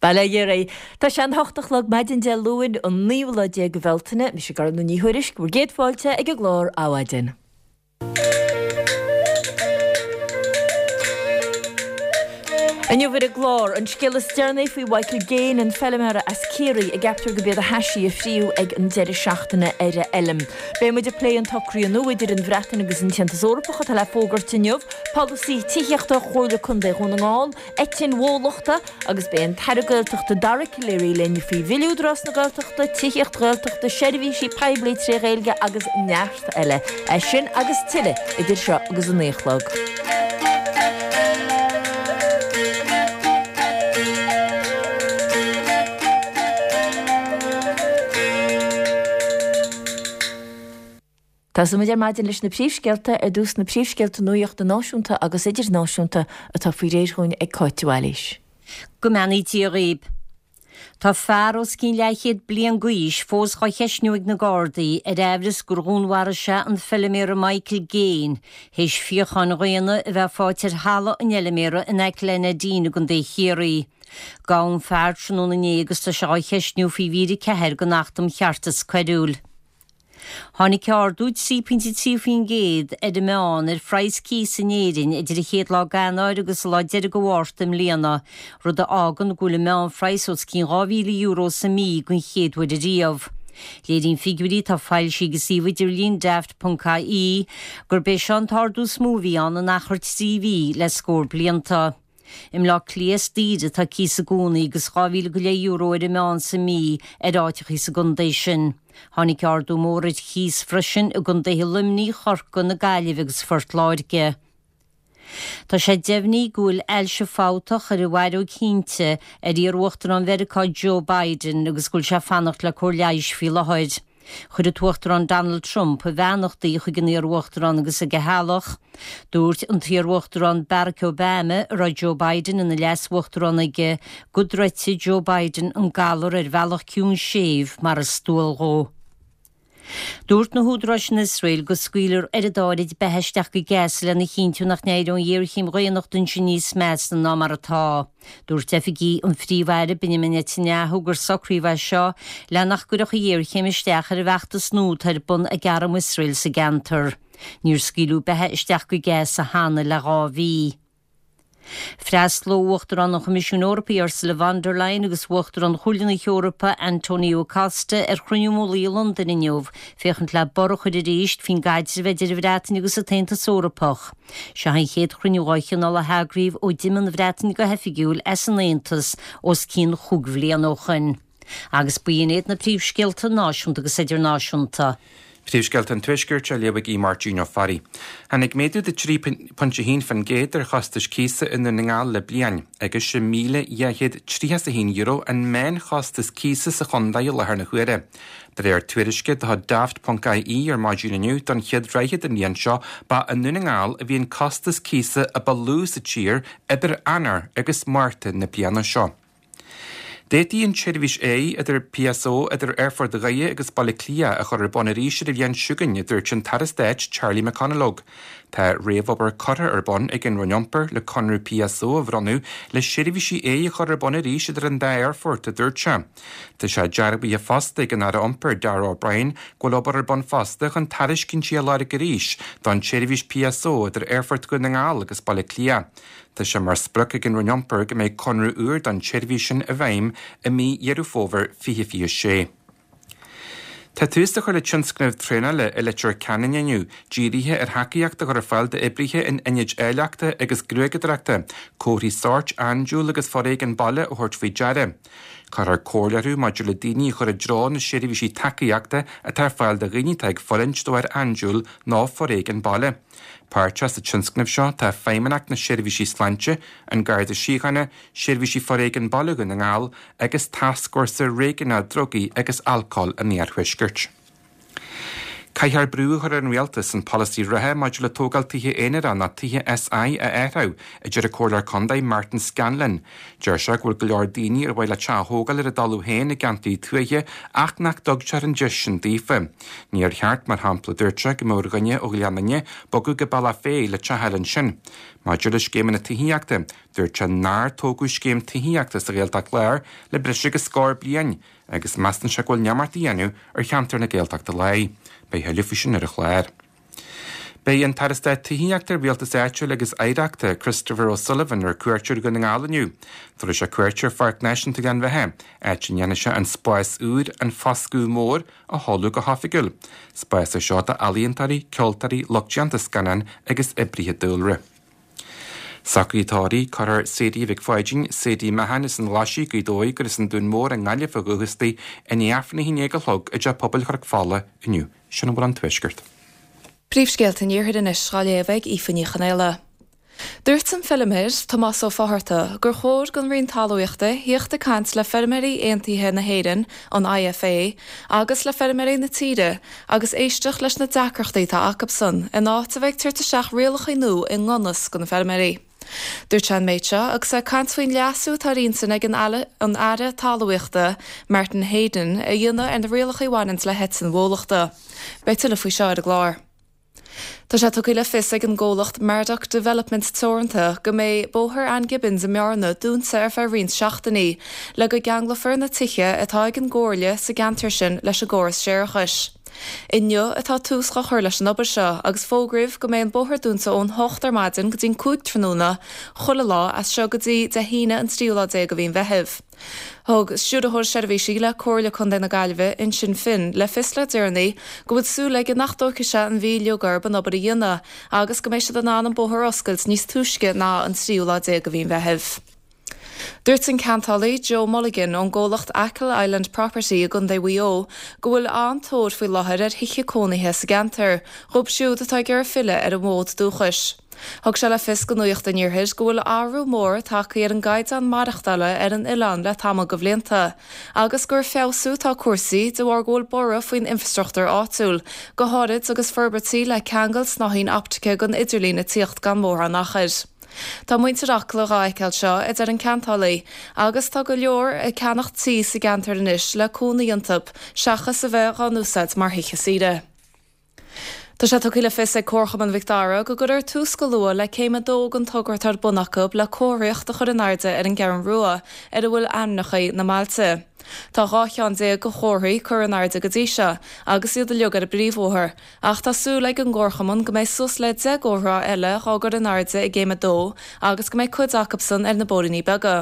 Bail ó Dhia oraibh. Tá sé an hocht a chlog maidin Dé Luain, an naoú lá déag de Bhealtaine. Mise Gormfhlaith Ní Thuairisg, bhur gcéad fáilte ag an gclár Adhmhaidin. Inniu ar an gclár, an scéal is deireanaí faoi Mhichael Gaine, an feilméara as Ciarraí a gceaptar gurb iad a thaisí a fríodh ag an deireadh seachtaine ar a fheilm. Beidh muid ag plé an tsocraithe nua idir an Bhreatain agus an tAontas Eorpach atá le fógairt inniu, polasaí tithíochta Chomhairle Contae Dhún na nGall, eitinn bhólachta agus beidh an tAire Gaeltachta Dara Calleary linn faoi Bhille Údarás na Gaeltachta, tithíocht Ghaeltachta, seirbhísí poiblí tré Ghaeilge agus neart eile. É sin agus tuilleadh idir seo agus a 9 a chlog. Tosóidh muid ar maidin leis na príomhscéalta, ar dtús na príomhscéalta nuachta náisiúnta agus idirnáisiúnta atá faoi réir dhúinn ag Cáit de Bhailís. Go mbeannaí Dia dhaoib. Tá fear os cionn leathchéad bliain d'aois fós dhá cheistniú ag na Gardaí ar aimhreas gur dhúnmharaigh sé an feilméara Michael Gaine théis fíocháin dhaonna a bheith faighte ar thalamh an fheilméara in aice le Neidín i gContae Chiarraí. Gabhadh an fear tráthnóna inné agus tá sé dhá cheistniú faoi mhír 4 den Acht um Cheartas Coiriúil. Tháinig ardú 3.3% ar an meán ar phraghas cíosa in Éirinn idir an chéad lá d'Eanáir agus an lá deiridh de Mhárta i mbliana, rud a fhágann go bhfuil an meánphraghas os cionn €2,000 sa mí den chéad uair ariamh. Léiríonn figiúirí atá foilsithe ag an suíomh idirlín Daft.ie gurb é seo an t-ardú is mó a bhí ann in achar 3 mhí le scór blianta. I mBleá Cliath is daoire atá cíos i gcónaí agus €2,000 go leith ar an meán sa mí ar áiteachaí sa gcontae sin. Tháinig ardú mór ar chíos freisin i gcontaetha Luimnigh, Chorcaí, na Gaillimhe agus Phort Láirge. Tá sé deimhnithe go bhfuil ailse fabhtach ar an bhfaireog thinte ar iar-uachtarán Mheiriceá Joe Biden agus go bhfuil sé ag fanacht le cóir leighis faoi láthair. Chuir an tUachtarán Donald Trump a bheannachtaí chuig an iar-uachtarán agus chuig a theaghlach. Dúirt an t-iar-uachtarán Barack Obama, a raibh Joe Biden ina leas-uachtarán aige, go dtroidfidh Joe Biden an galar ar bhealach ciúin séimh mar is dual dhó. Dúirt na húdaráis in Iosrael go scaoilfear oiread áirid beatha isteach go Gaza lena chinntiú nach n-éireoidh an ghéarchéim dhaonnachta ansin níos measa ná mar atá. Dúirt oifigigh an Phríomh-Aire Benjamin Netanyahu gur socraíodh é seo le nach gcuirfeadh an ghéarchéim isteach ar an bhfeachtas nua atá ar bun ag arm Iosrael sa gceantar. Níor scaoileadh beatha isteach go Gaza cheana le 2 mhí. Freastalóidh Uachtarán an Choimisiúin Eorpaigh Ursula von der Leyen agus Uachtarán Chomhairle na hEorpa Antonio Costa ar chruinniú mullaigh i Londain inniu féachaint le borradh a chur arís faoin gcaidreamh idir an Bhreatain agus an tAontas Eorpach. Seo an chéad chruinniú dhá chineál a heagraíodh ó d'imigh an Bhreatain go hoifigiúil as an Aontas os cionn chúig bhliana ó shoin. Agus b'in iad na príomhscéalta náisiúnta agus idirnáisiúnta. Príomhscéalta an Tuaiscirt á léamh ag Aodh Máirtín Ó Fearraigh. Tháinig méadú de 3.1% ar chostais cíosa i nDún na nGall le bliain, agus €6,231 an meánchostas cíosa sa chontae i láthair na huaire. De réir tuairisce de chuid Daft.ie ar maidin inniu, don chéad ráithe den bhliain seo, ba i nDún na nGall a bhí an costas cíosa a ba lú sa tír idir Eanáir agus Márta na bliana seo. D'fhéadfaí an tseirbhís aeir idir PSO idir Aerfort Dhoire agus Baile Átha Cliath a chur ar bun arís ar an bhliain seo chugainn, a dúirt an tAire Stáit Charlie McConalogue. Tá réamhobair curtha ar bun ag an Roinn Iompair le conradh PSO a bhronnadh le seirbhísí aeir a chur ar bun arís idir an dá aerfort, a dúirt sé. Tá sé dearbhaithe fosta ag an Aire Iompair, Darragh O'Brien, go bhfuil obair ar bun fosta chun tairiscintí a lorg arís don tseirbhís PSO idir Aerfort Dhún na nGall agus Baile Átha Cliath. Tá sé mar sprioc ag an Roinn Iompair go mbeidh conradh úr don tseirbhís sin i bhfeidhm i mí Dheireadh Fómhair 2026. Tá tús á chur le tionscnamh traenála i Leitir Ceanainn inniu, dírithe ar thacaíocht a chur ar fáil d'oibrithe in ionaid áilleachta agus gruaigeadóireachta, comharthaí sóirt andúil agus foréigean baile a thabhairt faoi deara. Cuirfear comhairle orthu maidir le daoine a chur i dtreo na seirbhísí tacaíochta atá ar fáil do dhaoine atá ag fulaingt de bharr andúil nó foréigean baile. Páirteach sa tionscnamh seo tá Feidhmeannacht na Seirbhísí Sláinte, An Garda Síochána, Seirbhísí Foréigin Baile Dhún na nGall agus Tascfhórsa Réigiúnach Drugaí agus Alcóil an Iarthuaiscirt. Caithfear brú a chur ar an Rialtas an polasaí reatha maidir le tógáil tithe aonair nó tithe SI a athrú, a deir an Comhairleoir Contae Martin Scanlon. Deir sé go bhfuil go leor daoine ar mhaith leo teach a thógáil ar a dtalamh féin i gceantair tuaithe ach nach dtugtar an deis sin daofa. Níor cheart, mar shampla, dúirt sé, go mbeadh ar dhuine ó Ghleann Fhinne bogadh go Bealach Féich le teach a fháil ansin. Maidir le scéimeanna tithíochta, dúirt sé nár tógadh scéim tithíochta sa Ghaeltacht Láir le breis agus scór bliain, agus measann sé go bhfuil neamart á dhéanamh ar cheantar na Gaeltachta Láir. Beidh a thuilleadh faoi sin ar an chlár. Beidh an tAire Stáit Tithíochta, Rialtais Áitiúil agus Oidhreachta, Christopher O'Sullivan ar cuairt ar Dhún na nGall inniu. Tabharfaidh sé cuairt ar Pháirc Náisiúnta Ghleann Bheatha, áit a ndéanfaidh sé an spás úr, An Foscadh Mór, a sheoladh go hoifigiúil. Spás é seo d'ealaíontóirí, ceoltóirí, lucht déanta scannán agus oibrithe dúlra. Socruithe tórraimh, Cuirfear Sadie Mhic Pháidín, Sadie Mahon as an Ghlaisigh, Gaoth Dobhair gur as an Dún Mór i nGaillimh ó dhúchas di, i ndiaidh Aifreann 11 a chlog i dTeach Pobail Chnoc Fola inniu. Sin a bhfuil ón Tuaisceart. Príomhscéalta an Iarthair anois dhá léamh ag Aoife Ní Chonaola. Dúirt an feilméar, Tomás Ó Fátharta, gur chóir don Roinn Talmhaíochta thíocht ag caint le Feirmeoirí Aontaithe na hÉireann, an IFA, agus le feirmeoirí na tíre agus éisteacht leis na deacrachtaí atá acubsan, in áit a bheith ag tabhairt isteach rialachaí nua i ngan fhios do na feirmeoirí. Dúirt sé an méid seo agus é ag caint faoin leasú atá ar intinn ag an an Aire Talmhaíochta, Martin Heydon, a dhéanamh ar na rialachaí a bhaineanns le heitinn bhólachta. Beidh tuilleadh faoi seo ar an gclár. Tá sé tugtha le fios ag an gcomhlacht Mardoc Developments Teoranta go mbeidh Bóthar Ann Gibbons i mBearna dúnta ar feadh roinnt seachtainí le go gceanglófar na tithe atá ag an gcomhairle sa gceantar sin leis an gcóras séarachais. Inniu atá tús dhá chur leis an obair seo agus fógraíodh go mbeidh an bóthar dúnta ón hocht ar maidin go dtí'n 5 tráthnóna chuile lá as seo go dtí Dé hAoine an tríú lá déag de mhí an Mheithimh. Thug Stiúrthóir Seirbhísí le Comhairle Contae na Gaillimhe, Uinseann Finn, le fios le deireanaí go bhfuil súil aige nach dtógfaidh sé an mhí uilig orthu an obair a dhéanamh agus go mbeidh siad in ann an bóthar a oscailt níos túisce ná an tríú lá déag de mhí an Mheithimh. Dúirt an ceantálaí Joe Mulligan ón gcomhlacht Achill Island Property i gContae Mhaigh Eo go bhfuil an-tóir faoi láthair ar thithe cónaithe sa gceantar, dhóibh siúd atá ag iarraidh filleadh ar a bhfód dúchais. Thug sé le fios do Nuacht an Iarthair go bhfuil athrú mór tagtha ar an gcaighdeán maireachtála ar an oileán le tamall de bhlianta agus gur ag feabhsú atá cúrsaí de bharr go bhfuil borradh faoin infreastruchtúr áitiúil, go háirid agus forbairtí le ceangal snáithín optaice don idirlíon ag tíocht gan mórán achair. Tá muintir Acla dhá fheiceáil seo, a deir an ceantálaí, agus tá go leor ag ceannach tí sa gceantar anois le cónaí iontu seachas a bheith dhá n-úsáid mar thithe saoire. Tá sé tugtha le fios ag Comharchumann Mhic Dara go gcuirfear tús go luath le céim 2 den togra atá ar bun acu le comharthaíocht a chur in airde ar an gCeathrú Rua ar a bhfuil ainmneacha na mbailte. Tá 12 cheann de chomharthaí curtha in airde go dtí seo agus iad uilig ar an bpríomhbhóthar ach tá súil ag an gComharchumann go mbeidh suas le 10 gcomhartha eile dhá gcur in airde i gcéim 2 agus go mbeidh cuid acubsan ar na bóithríní beaga.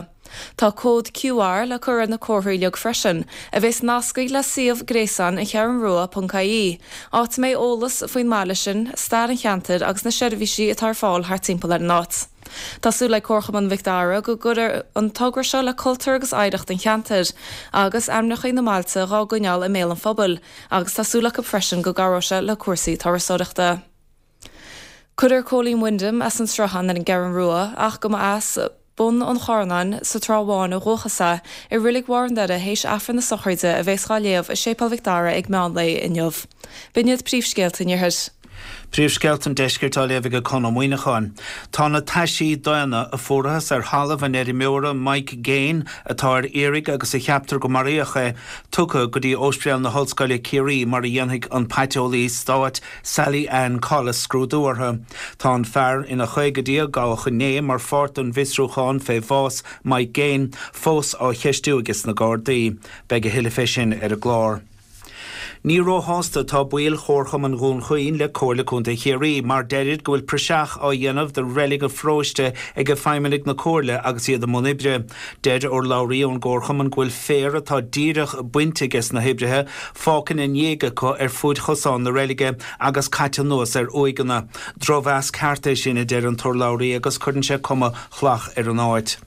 Tá cód QR le cur ar na comharthaí uilig freisin, a bheas nasctha le suíomh gréasáin An Cheathrún Rua ponc ie, áit a mbeidh eolas faoin mbaile sin, stair an cheantair agus na seirbhísí atá ar fáil thart timpeall ar an áit. Tá súil ag Comharchumann Mhic Dara go gcuirfidh an togra seo le cultúr agus oidhreacht an cheantair, agus ainmneacha na mbailte dhá gcoinneáil i mbéal an phobail, agus tá súil acu freisin go gcabhróidh sé le cúrsaí turasóireachta. Cuirfear Cóilín Wyndham as an Sruthán ar an gCeathrú Rua ach go mba as Bun an Charnáin sa Trá Bháin ó dhúchas é, i Reilig Bharr an Doire théis Aifreann na sochraide a bheas dhá léamh i Séipéal Mhic Dara ag meán lae inniu. B'in iad príomhscéalta an Iarthair. Príomhscéalta an Deiscirt á léamh ag Conn Ó Muíneacháin. Tá na taisí daonna a fuarathas ar thalamh an fheirmeora Mike Gaine, atá ar iarraidh agus a cheaptar go maraíodh é, tugtha go dtí Ospidéal na hOllscoile Ciarraí mar a dhéanfaidh an paiteolaí stáit Sally Ann Collis scrúdú orthu. Tá an fear ina chaogaidí a gabhadh inné mar pháirt den bhfiosrúchán fé bhás Mike Gaine fós á cheistiú ages na Gardaí. Beidh a thuilleadh fé sin ar an gclár. Ní róshásta atá baill Chomharchumann Dhún Chaoin le Comhairle Contae Chiarraí mar deirid go bhfuil praiseach á dhéanamh de reilig an pharóiste ag feidhmeannaigh na Comhairle agus iad i mbun oibre. Deir urlabhraí ón gComharchumann go bhfuil féar atá díreach bainte ages na hoibrithe fágtha ina ndiaidh acu ar fuaid chosán na reilige agus caite anuas ar uaigheanna. Drochmheas ceart é sin, a deir an t-urlabhraí, agus cuireann sé cuma shlach ar an áit.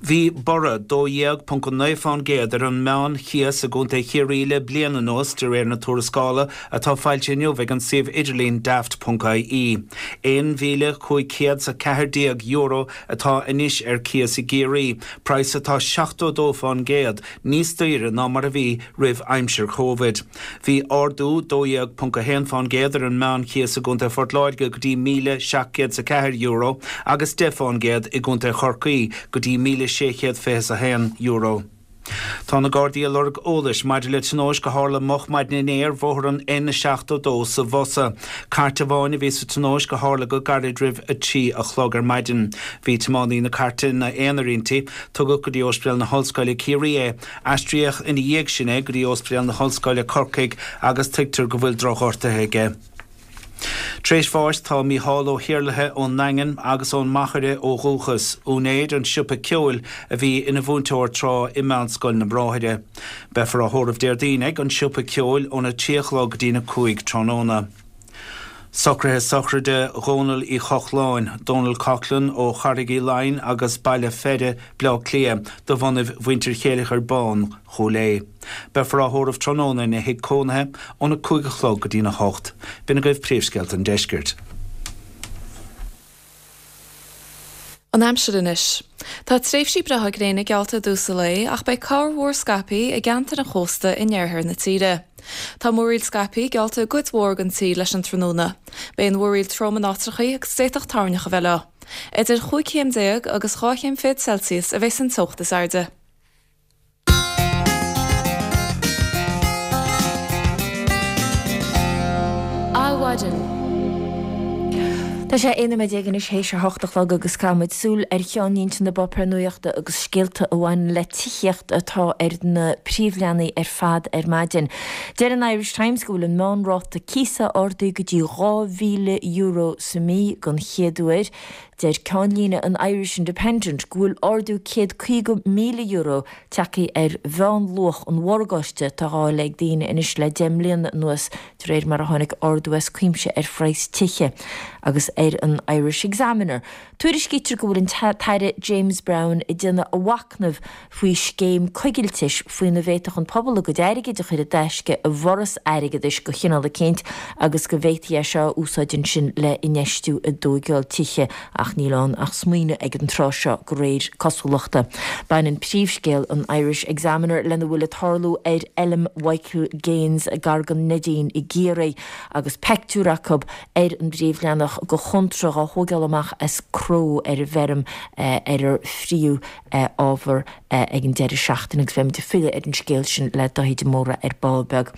Bhí borradh 12.9% ar an meán-chíos i gContae Chiarraí le bliain anuas, de réir na tuarascála atá foilsithe inniu ag an suíomh idirlín Daft.ie. €1,514 atá anois ar cíos i gCiarraí, praghas atá 72% níos daoire ná mar a bhí roimh aimsir Covid. Bhí ardú 12.1% ar an meánchíos i gContae Phort Láirge go dtí €1,704 agus 10% i gContae Chorcaí go dtí €1,621. Tá na Gardaí ag lorg eolais maidir le tionóisc a tharla moch maidin inné ar bhóthar an N72 sa Bhosa. Cairt amháin a bhí sa tionóisc a tharla go gairid roimh 3 a chlog ar maidin. Bhí tiománaí na cairte ina aonar inti. Tugadh go dtí Ospidéal na hOllscoile Ciarraí é. Aistríodh ina dhiaidh sin é go dtí Ospidéal na hOllscoile Corcaigh agus tuigtear go bhfuil drochghortuithe aige. Tar éis bháis tá Mícheál Ó hIarlaithe ón nDaingean agus ón Machaire ó dhúchas, úinéir an tsiopa ceoil a bhí ina mhúinteoir tráth i Meánscoil na mBráithre. Beifear á thórramh Déardaoin ag an siopa ceoil óna 3 a chlog go dtína 5 tráthnóna. Socruithe sochraide Dhónaill Uí Chochláin, Donal Coughlan ó Charraig Uí Leighin agus Baile Pheire, Bleá Cliath, de bhunaibh mhuintir Chéileachair Bán, Chúil Aodha. Beifear á thórramh tráthnóna ina thigh cónaithe óna 5 a chlog go dtína 8. B'in agaibh príomhscéalta an deiscirt. An aimsir anois. Tá tréimhsí breátha gréine geallta i dtús an lae ach beidh corrmhúr scaipthe i gceantair an chósta in oirthear na tíre. Tá múraíl scaipthe geallta i gcuid mhór den tír leis an tráthnóna. Beidh an mhúraíl trom in áiteachaí agus d'fhéadfadh toirneach a bheith leo. Idir chúig chéim déag agus dhá chéim fichead Celsius a bheas an teocht is airde. Adhmhaidin. Tá sé 11 nóiméad anois théis a hocht a chlog agus caithfidh muid súil ar cheannlínte na bpáipéar nuachta agus scéalta a bhaineann le tithíocht atá ar na príomhleathanaigh ar fad ar maidin. Deir an Irish Times go bhfuil an meánráta cíosa ardaithe go dtí €2,000 sa mí don chéad uair. Deir ceannlíne an Irish Independent go bhfuil ardú €150,000 tagtha ar mheánluach an mhorgáiste atá á fháil ag daoine anois le 10 mbliana anuas de réir mar a tháinig ardú as cuimse ar phraghas tithe. Agus ar an Irish Examiner, tuairiscítear go bhfuil an tAire James Browne ag déanamh a mhachnaimh faoi scéim coigiltis faoina bhféadfadh an pobal a gcuid airgid a chur i dtaisce i bhforas airgeadais de chineál eicínt agus go bhféadfaí é seo a úsáid ansin le infheistiú i dtóigeáil tithe ach níl ann ach smaoineamh ag an tráth seo de réir cosúlachta. Baineann príomhscéal an Irish Examiner lena bhfuil ag tarlú ar fheilm Mhichael Gaines gar don Neidín i gCiarraí agus peictiúr acu ar an bpríomhleathanach de chóntra dhá thóigeáil amach as cró ar an bhfeirm ar ar fríodh ábhar ag an deireadh seachtaine agus beimid ag filleadh ar an scéal sin le Dáithí de Mórdha ar ball beag.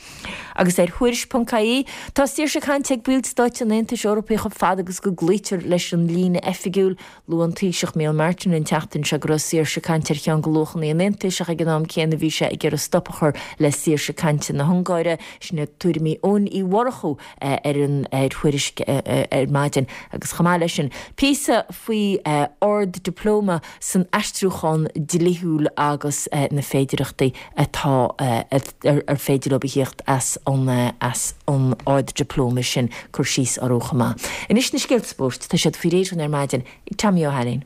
Agus ar Thuairisc ponc ie, tá saoirse cainte ag baill stáit an Aontais Eorpaigh chomh fada agus go gcloítear leis an líne oifigiúil. Luaigh an Taoiseach Micheál Martin an tseachtain seo go raibh saoirse cainte ar cheann de luachanna an Aontais ach ag an am céanna bhí sé ag iarraidh stop a chur le saoirse cainte na hUngáire. Sin iad tuairimí Eoin Uí Mhurchú ar an ar Thuairisc ar maidin agus chomh maith leis sin píosa faoi ard-dioplóma san aistriúchán dlíthiúil agus na féidireachtaí atá ar féidir leo a thíocht as an as an ard-dioplóma sin cur síos orthu chomh maith. Anois na scéalta spóirt, tá siad faoi réir dhúinn ar maidin ag Tommy Ó hAilín.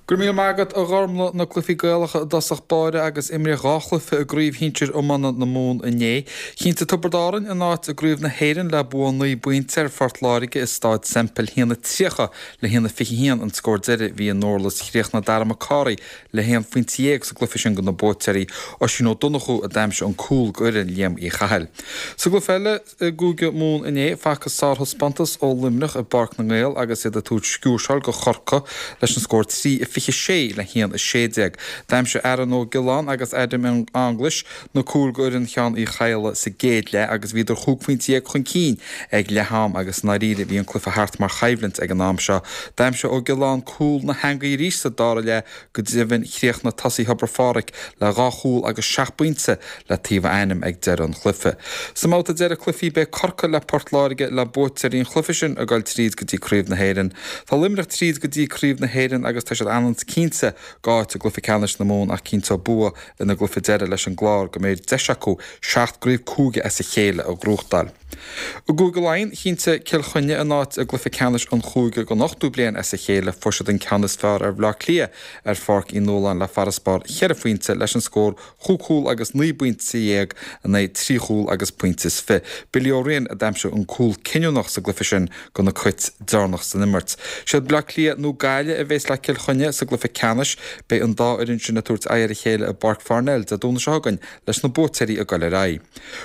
Go raibh míle maith agat, a Ghormlaith. Na cluichí Gaelacha i dtosach báire agus imríodh 2 chluiche i gCraobh Shinsir Iomána na Mumhan inné. Chinntigh Tiobraid Árann a n-áit i gCraobh na hÉireann le bua 9 bpointe ar Phort Láirge i Stáid Semple. 1-30 le 1-21 an scór deiridh. Bhí i nDurlas chríochnaigh Darragh McCorry le haon phointe dhéag sa gcluiche sin do na buaiteoirí. Oisín Ó Donnchú a d'aimsigh an cúl do fhoireann Liam Uí Chathail. Sa gcluiche eile, I gCúige Mumhan inné, facthas sárthaispeántas ó Luimneach i bPáirc na nGael agus iad ag tabhairt sciúrsáil do Chorcaigh leis an scór 3-26 le 1-16. D'aimsigh Aaron Ó Giolláin agus Adam English na cúil do fhoireann Sheáin Uí Chadhla sa gcéad leath agus bhíodar chúig phointe dhéag chun cinn ag leath am agus i ndáiríre bhí an cluiche thart mar choimhlint ag an am seo. D'aimsigh Ó Giolláin cúl na heangaí arís sa dara leath Go deimhin, chríochnaigh tosaí Thobar Phádraig le dhá chúl agus seacht bpointe le taobh a ainm ag deireadh an chluiche. Sa mbabhta deiridh cluichí beidh Corcaigh le Port Láirge le buaiteoirí an chluiche sin ag dul tríd go dtí Craobh na hÉireann. Tá Luimneach tríd go dtí Craobh na hÉireann agus tá siad an. leanúint cinnte d'áit i gcluiche ceannais na Mumhan ach cinnteoidh bua ina gcluiche deiridh leis an gClár go mbeidh deis acu 7 gcraobh cúige as a chéile a ghnóthachtáil. I gCúige Laighean, chinntigh Cill Chainnigh a n-áit i gcluiche ceannais an chúige don ochtú bliain as a chéile. Fuair siad an ceann is fearr ar Bhaile Átha Cliath ar Pháirc Uí Nualláin le farasbarr cheithre phointe leis an scór chúig chúl agus 19 bpointe in aghaidh trí chúl agus pointe is fi. Billy Ó Riain a d'aimsigh an cúl cinniúnach sa gcluiche sin do na Cait deireanach san imirt. Siad Baile Átha Cliath nó Gaillimh a bhéas le Cill Chainnigh sa gcluiche ceannais. Beidh an dá fhoireann sin ag tabhairt aghaidh ar a chéile i bPáirc Pharnell Dé Domhnaigh seo chugainn leis na buaiteoirí ag goil ar aghaidh.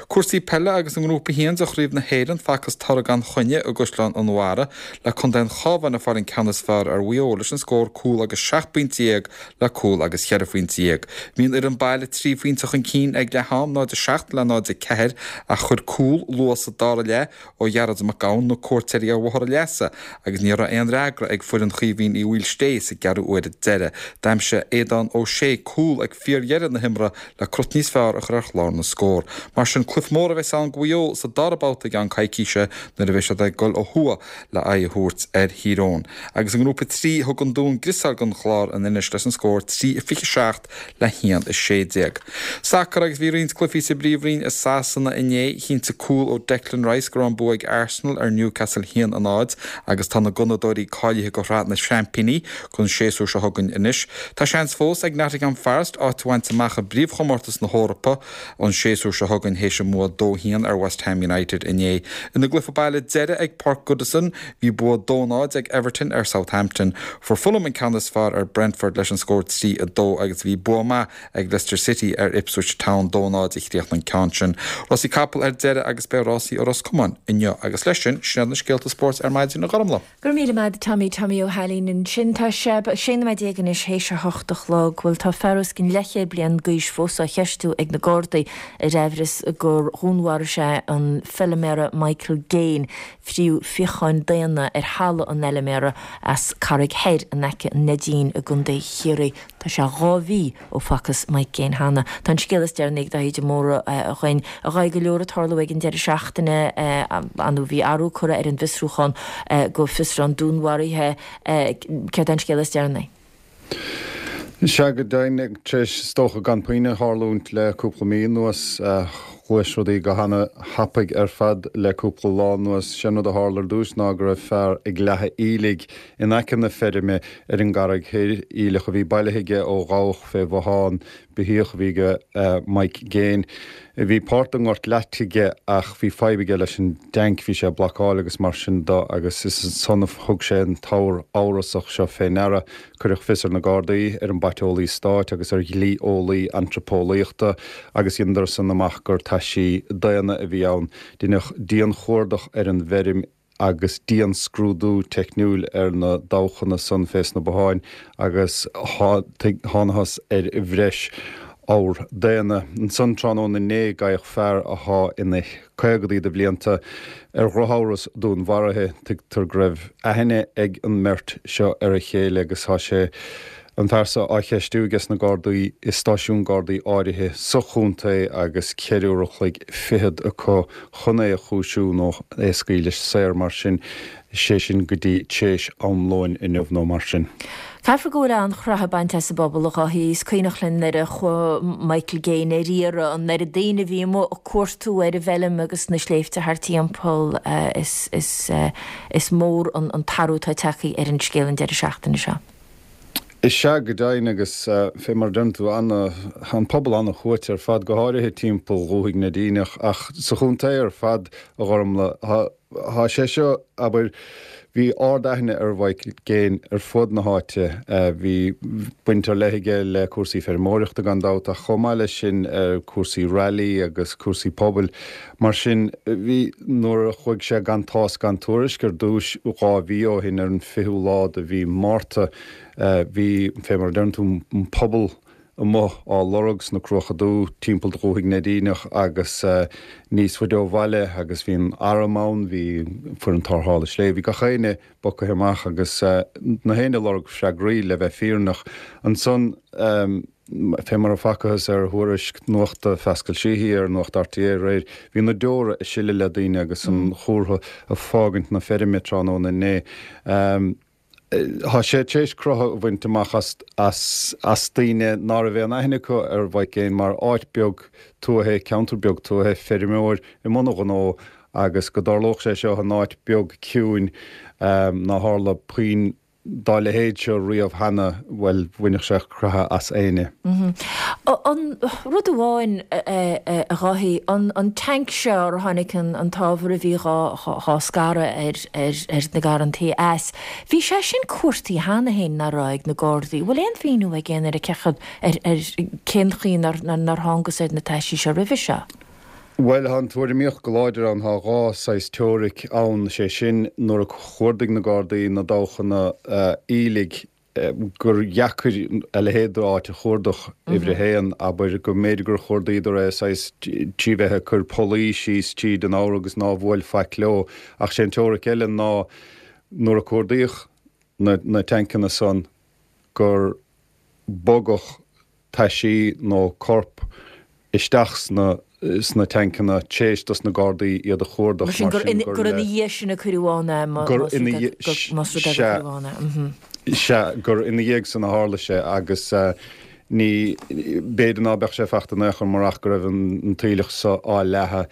Cúrsaí peile agus i nGrúpa 1 de Chraobh na hÉireann facthas toradh gan choinne i gCaisleán an Bharraigh le Contae an Chabháin ag fáil an ceann is fearr ar Mhaigh Eo leis an scór cúl agus 17 bpointe le cúl agus 14 phointe. Bhí an fhoireann baile trí phointe chun cinn ag leath am, 0-7 le 0-4, ach chuir cúl luath sa dara leath ó Ghearóid Mac Gabhann na cuairteoirí ar bhóthar a leasa agus ní raibh aon fhreagra ag foireann Chaoimhín Uí Mhaoilsté sa gceathrú uaire deiridh. D'aimsigh Aodán Ó Sé cúl ag fíordheireadh na himeartha le crot níos fearr a chur ar chlár na scór. Mar sin, cluiche mór a bheas ann do Mhaigh Eo sa dara babhta i gceann coicíse nuair a bheidh siad ag dul ó thuaidh le aghaidh a thabhairt ar Thír Eoghain. Agus i nGrúpa 3, thug an Dún griosáil don Chlár in Inis leis an scór 3-27 le 1-16. Sacar agus bhí roinnt cluichí sa bPríomhroinn i Sasana inné. Chinntigh cúl ó Declan Rice go raibh an bua ag Arsenal ar Newcastle 1-0 agus tá na Gunnadóirí cáilithe do Shraith na Seaimpíní don séasúr seo chugainn anois. Tá seans fós ag Nottingham Forest áit a bhaint amach i bpríomhchomórtas na hEorpa an séasúr seo chugainn théis a mbua 2-1 ar West Ham United inné. Ina gcluiche baile deiridh ag Páirc Goodison, bhí bua 2-0 ag Everton ar Southampton. Fuair Fulham an ceann is fearr ar Brentford leis an scór 3-2 agus bhí bua maith ag Leicester City ar Ipswich Town, 2-0 a chríochnaigh an ceann sin. Rásaí capall ar deireadh agus beidh rásaí i Ros Comáin inniu agus leis sin, sin iad na scéalta spóirt ar maidin, a Ghormlaith. Go raibh míle maith agat Tommy, Tommy Ó hAilín ansin. Tá sé 16 nóiméad anois théis a hocht a chlog. Bhuel tá fear os cionn leathchéad bliain d'aois fós á cheistiú ag na Gardaí ar aimhreas gur dhúnmharaigh sé an feiliméara Michael Gaine, fríodh fíocháin daonna ar thalamh an fheiliméara as Carraig Thoir in aice an Neidín i gContae Chiarraí. Tá sé 2 mhí ó facthas Mike Gaine cheana. Tá an scéal is deireanaí ag Daithí de Mórdha dhuinn. A Dháithí, go leor ag tarlú ag an deireadh seachtaine, ar ndóigh bhí athrú curtha ar an bhfiosrúchán go fiosrúchán dúnmharaithe. Céard é an scéal is deireanaí? Sea, go deimhin, tar éis is dócha gan puinn a tharlúint le cúpla mí anuas, ghluais rudaí go hana-thapaidh ar fad le cúpla lá anuas. Sé an rud a tharla ar dtús ná go raibh fear ag leathadh aoiligh in aice na feirme ar an gCarraig Thoir, aoileach a bhí bailithe aige ó dhabhach fé bhothán beithíoch a bhí ag Mike Gaine. Bhí páirt den ngort leaite aige ach bhí fadhb aige leis an dteainc, bhí sé ag blocáil agus mar sin do agus is ansan a thug sé an t-abhar amhrasach seo fé ndeara. Cuireadh fios ar na Gardaí, ar an bPaiteolaí Stáit agus ar dhlí-eolaí antraipeolaíochta agus dheineadar san amach gur taisí daonna a bhí ann. Deineadh dian-chuardach ar an bhfeirm agus dian-scrúdú teicniúil ar na dabhchanna san fés na botháin agus thánathas ar bhreis abhar daonna. Ansan tráthnóna inné gabhadh fear athá ina chaogadaí de bhlianta ar dhrochamhras dúnmharaithe. Tuigtear go raibh aithne ag an mbeirt seo ar a chéile agus tá sé an fear so á cheistiú ages na Gardaí i stáisiún Gardaí áirithe sa chontae agus ceithre uair a chloig fichead acu chun é a chúisiú nó é a scaoileadh saor mar sin, sé sin go dtí tréis am lóin inniu nó mar sin. Caithfear go bhfuil an-chroitheadh bainte as an bpobal, a Dháithí. Is cuimhneach linn nuair a chuaigh Michael Gaine ar iarraidh, an oiread daoine a bhí amuigh ag cuartú ar an bhfeilm agus na sléibhte thart timpeall. Is mór an t-athrú atá tagtha ar an scéal an deireadh seachtaine seo. Is ea, go deimhin, agus fé mar a deireann tú, ana, an pobal ana-shuaite ar fad, go háirithe timpeall Dhúthaigh Neidíneach, ach sa chontae ar fad, a Ghormlaith. Tá, tá sé seo, abair, bhí ard-aithne ar Mhichael Gaine ar fud na háite, bhí baint ar leith aige le cúrsaí feirmeoireachta gan dabht, ach chomh maith leis sin, cúrsaí rally agus cúrsaí pobail. Mar sin, bhí, nuair a chuaigh sé gan tásc gan tuairisc ar dtúis, 2 mhí ó shin, ar an 20ú lá de mhí Márta, bhí, fé mar a deireann tú, an pobal amuigh á lorg sna Cruacha Dubha, timpeall Dhúthaigh Neidíneach agus níos faide ó bhaile agus bhí an arm ann, bhí foireann tarrthála sléibhe, bhí gach éinne bogtha amach agus na héinne ag lorg freagraí, le bheith fírinneach. Ansan. Fé mar a facathas ar thuairisc nuachta Phascal Sheehy ar Nuacht RTÉ aréir, bhí na deora ag sileadh le daoine agus an chomhartha ag fágaint na feirme tráthnóna inné. Tá sé tar éis croitheadh a bhaint amach as as as daoine ná raibh aon aithne acu ar Mhike Gaine mar áit beag tuaithe, ceantar beag tuaithe, feirmeoir i mbun a ghnó agus go dtarlódh sé seo in áit beag ciúin nár tharla puinn dá leithéid seo riamh cheana, bhuel, bhainfeadh sé croitheadh as éinne. An rud amháin, a Dháithí, an tanc seo ar tháinig an t-ábhar a bhí dhá scaradh ar na garrantaí as, bhí sé sin cuartaithe cheana féin, nach raibh, ag na Gardaí. Bhfuil aon mhíniú ag éinne ar ar cén chaoi nár thángas ar na taisí seo roimhe seo? Bhuel, tá an tuairimíocht go láidir ann, tá dhá saghas teoiric ann, sé sin, nuair a chuardaigh na Gardaí na dabhchanna aoiligh, gur dheacair a leithéid d'áit a chuardach, uimhir a haon, abair, go mb'fhéidir gur chuardaíodar é saghas trí bheith ag cur pollaí síos tríd an ábhar agus ná bhuail faic leo. Ach sé an teoiric eile ná nuair a cuardaíodh na tancanna san gur bogadh taisí nó corp isteach sna sna tancanna tréis dos na Gardaí iad a chuardach Mar sin gur gur ina dhiaidh sin a cuireadh ann é más rud é más rud é gur cuireadh ann é. Sea, gur ina dhiaidh san a tharla sé agus ní, b'fhéidir ná beadh sé fachta in aon chor murach go raibh an t-aoileach so á leathadh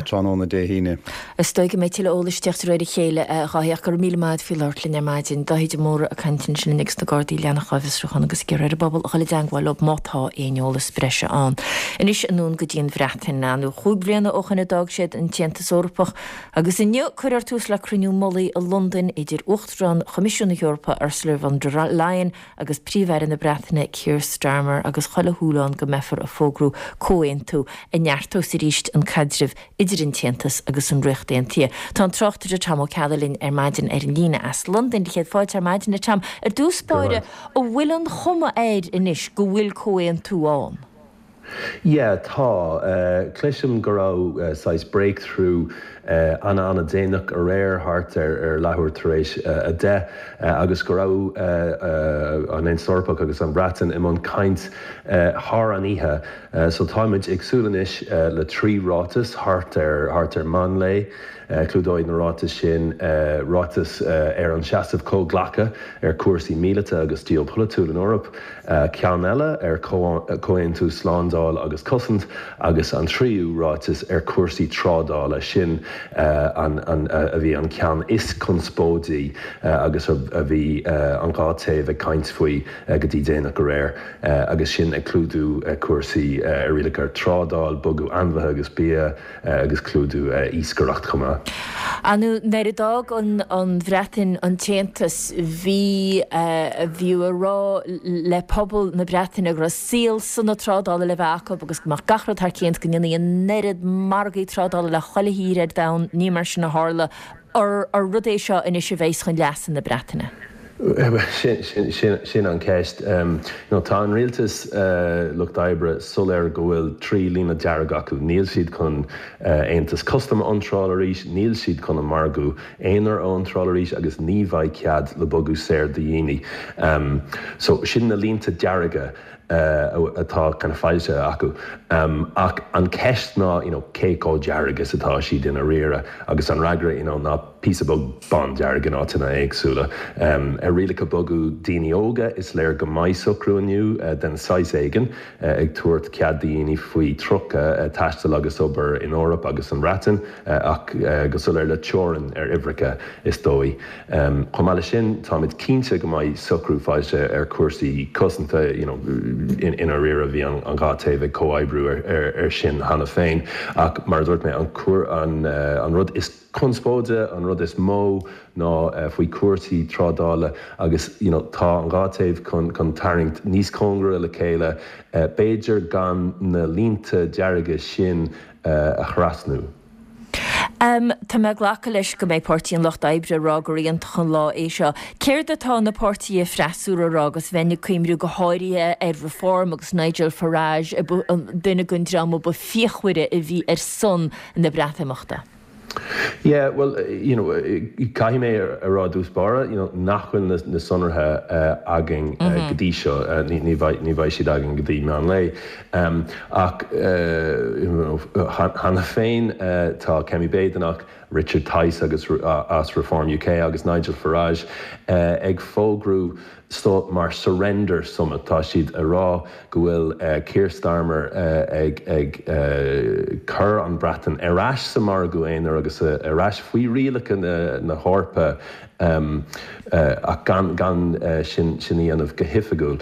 tráthnóna Dé hAoine. Is dóigh go mbeidh tuilleadh eolais ag teacht de réir a chéile, a Dháithí, ach go raibh míle maith agat faoi labhairt linn ar maidin. Dáithí de Mórdha ag caint ansin linn agus na Gardaí ag leanacht dhá bhfiosrúchán agus ag iarraidh ar an bpobal a dhul i dteangmháil leo má tá aon eolas breise ann. Anois anonn go dtí an Bhreatain. Nó chúig bhliana ó shoin a d'fhág siad an tAontas Eorpach agus inniu cuirfear tús le cruinniú mullaigh i Londain idir Uachtarán Choimisiún na hEorpa Ursula von der Leyen agus Príomh-Aire na Breataine Keir Starmer agus chuile shúil ann go mbeifear ag fógrú comhaontú a neartós arís an caidreamh idir an tAontas agus an Ríocht Aontaithe. Tá an tráchtaire Tom Ó Ceallaigh linn ar maidin ar an líne as Londain. Céad fáilte ar maidin, a Tom. Ar dtús báire, an bhfuil an chuma air anois go bhfuil comhaontú ann? Yeah, tá. Cloisim go raibh saghas breakthrough ana-ana-déanach aréir, thart ar leathuair tar éis a 10, agus go raibh an Aontas Eorpach agus an Bhreatain i mbun caint thar an oíche. So táimid ag súil anois le 3 ráiteas thart ar thart ar meán lae. Clúdóidh na ráitis sin ráiteas ar an seasamh comhghlactha ar chúrsaí míleata agus geopolaitiúil in Eoraip, ceann eile ar chomhaontú slándáil agus cosaint agus an tríú ráiteas ar chúrsaí trádála. Sin an a bhí an ceann is conspóidí agus a bhí an dhá taobh ag caint faoi go dtí déanach aréir agus sin ag clúdú cúrsaí ar rialacha ar trádáil, bogadh ainmhithe agus bia, agus clúdú iascaireacht chomh maith. Ar ndóigh, nuair a d'fhág an Bhreatain an tAontas, bhí, bhíodh á rá le pobal na Breataine go raibh saol sona trádála le bheith acu agus go mbeadh gach rud thar cionn, go ndéanfaí an oiread margaí trádála le chuile thír ar domhan. Ní mar sin a tharla. Ar rud é seo anois a bheas chun leasa na Breataine? Sin an cheist. Tá an rialtas Lucht Oibre soiléir go bhfuil 3 líne dearg acu. Níl siad chun aontas custaim a iontráil arís, níl siad chun an margadh aonair a iontráil arís agus ní bheidh cead le bogadh saor do dhaoine. So sin na línte dearga. atá kind of foilsithe acu. Ach an ceist ná you know cé chomh dearg is atá siad i ndáiríre agus an fhreagra you know ná píosa beag bándearg in áiteanna éagsúla. Ar rialacha bogadh daoine óga is léir go mbeidh socrú inniu den saghas éigin ag tabhairt cead do dhaoine faoi 30 taisteal agus obair in Eoraip agus an Bhreatain ach go soiléir le teorainn ar uimhreacha is dóigh. Chomh maith leis sin, táimid cinnte go mbeidh socrú foilsithe ar chúrsaí cosanta, you know, i ndáiríre bhí an dhá taobh ag comhoibriú ar sin cheana féin. Ach mar a dúirt mé, an rud is conspóide, an rud is mó ná faoi chúrsaí trádála agus, you know, tá an dhá taobh chun tarraingt níos cóngaraí le chéile, b'fhéidir gan na línte dearga sin a thrasnú. Tá mé ag glacadh leis go mbeidh Páirtí an Lucht Oibre ag rá gur iontach an lá é seo. Céard atá na páirtithe freasúra a rá agus bheinn ag cuimhniú go háirithe ar Reform agus Nigel Farage, duine den dream a ba fíochmhaire a bhí ar son na Breatimeachta? Yeah, bhuel, you know, caithfidh mé a rá i dtús báire, you know, nach bhfuil na, na sonraithe againn go dtí seo, ní bheidh, ní bheidh siad againn go dtí meán lae. Ach, you know, cheana féin tá Kemi Badenoch, Richard Tice agus as Reform UK agus Nigel Farage ag fógrú so mar surrender summit. Tá siad a rá go bhfuil Keir Starmer ag ag cur an Bhreatain ar ais sa margadh aonair agus ar ais faoi rialacha na hEorpa ach gan gan sin sin a dhéanamh go hoifigiúil.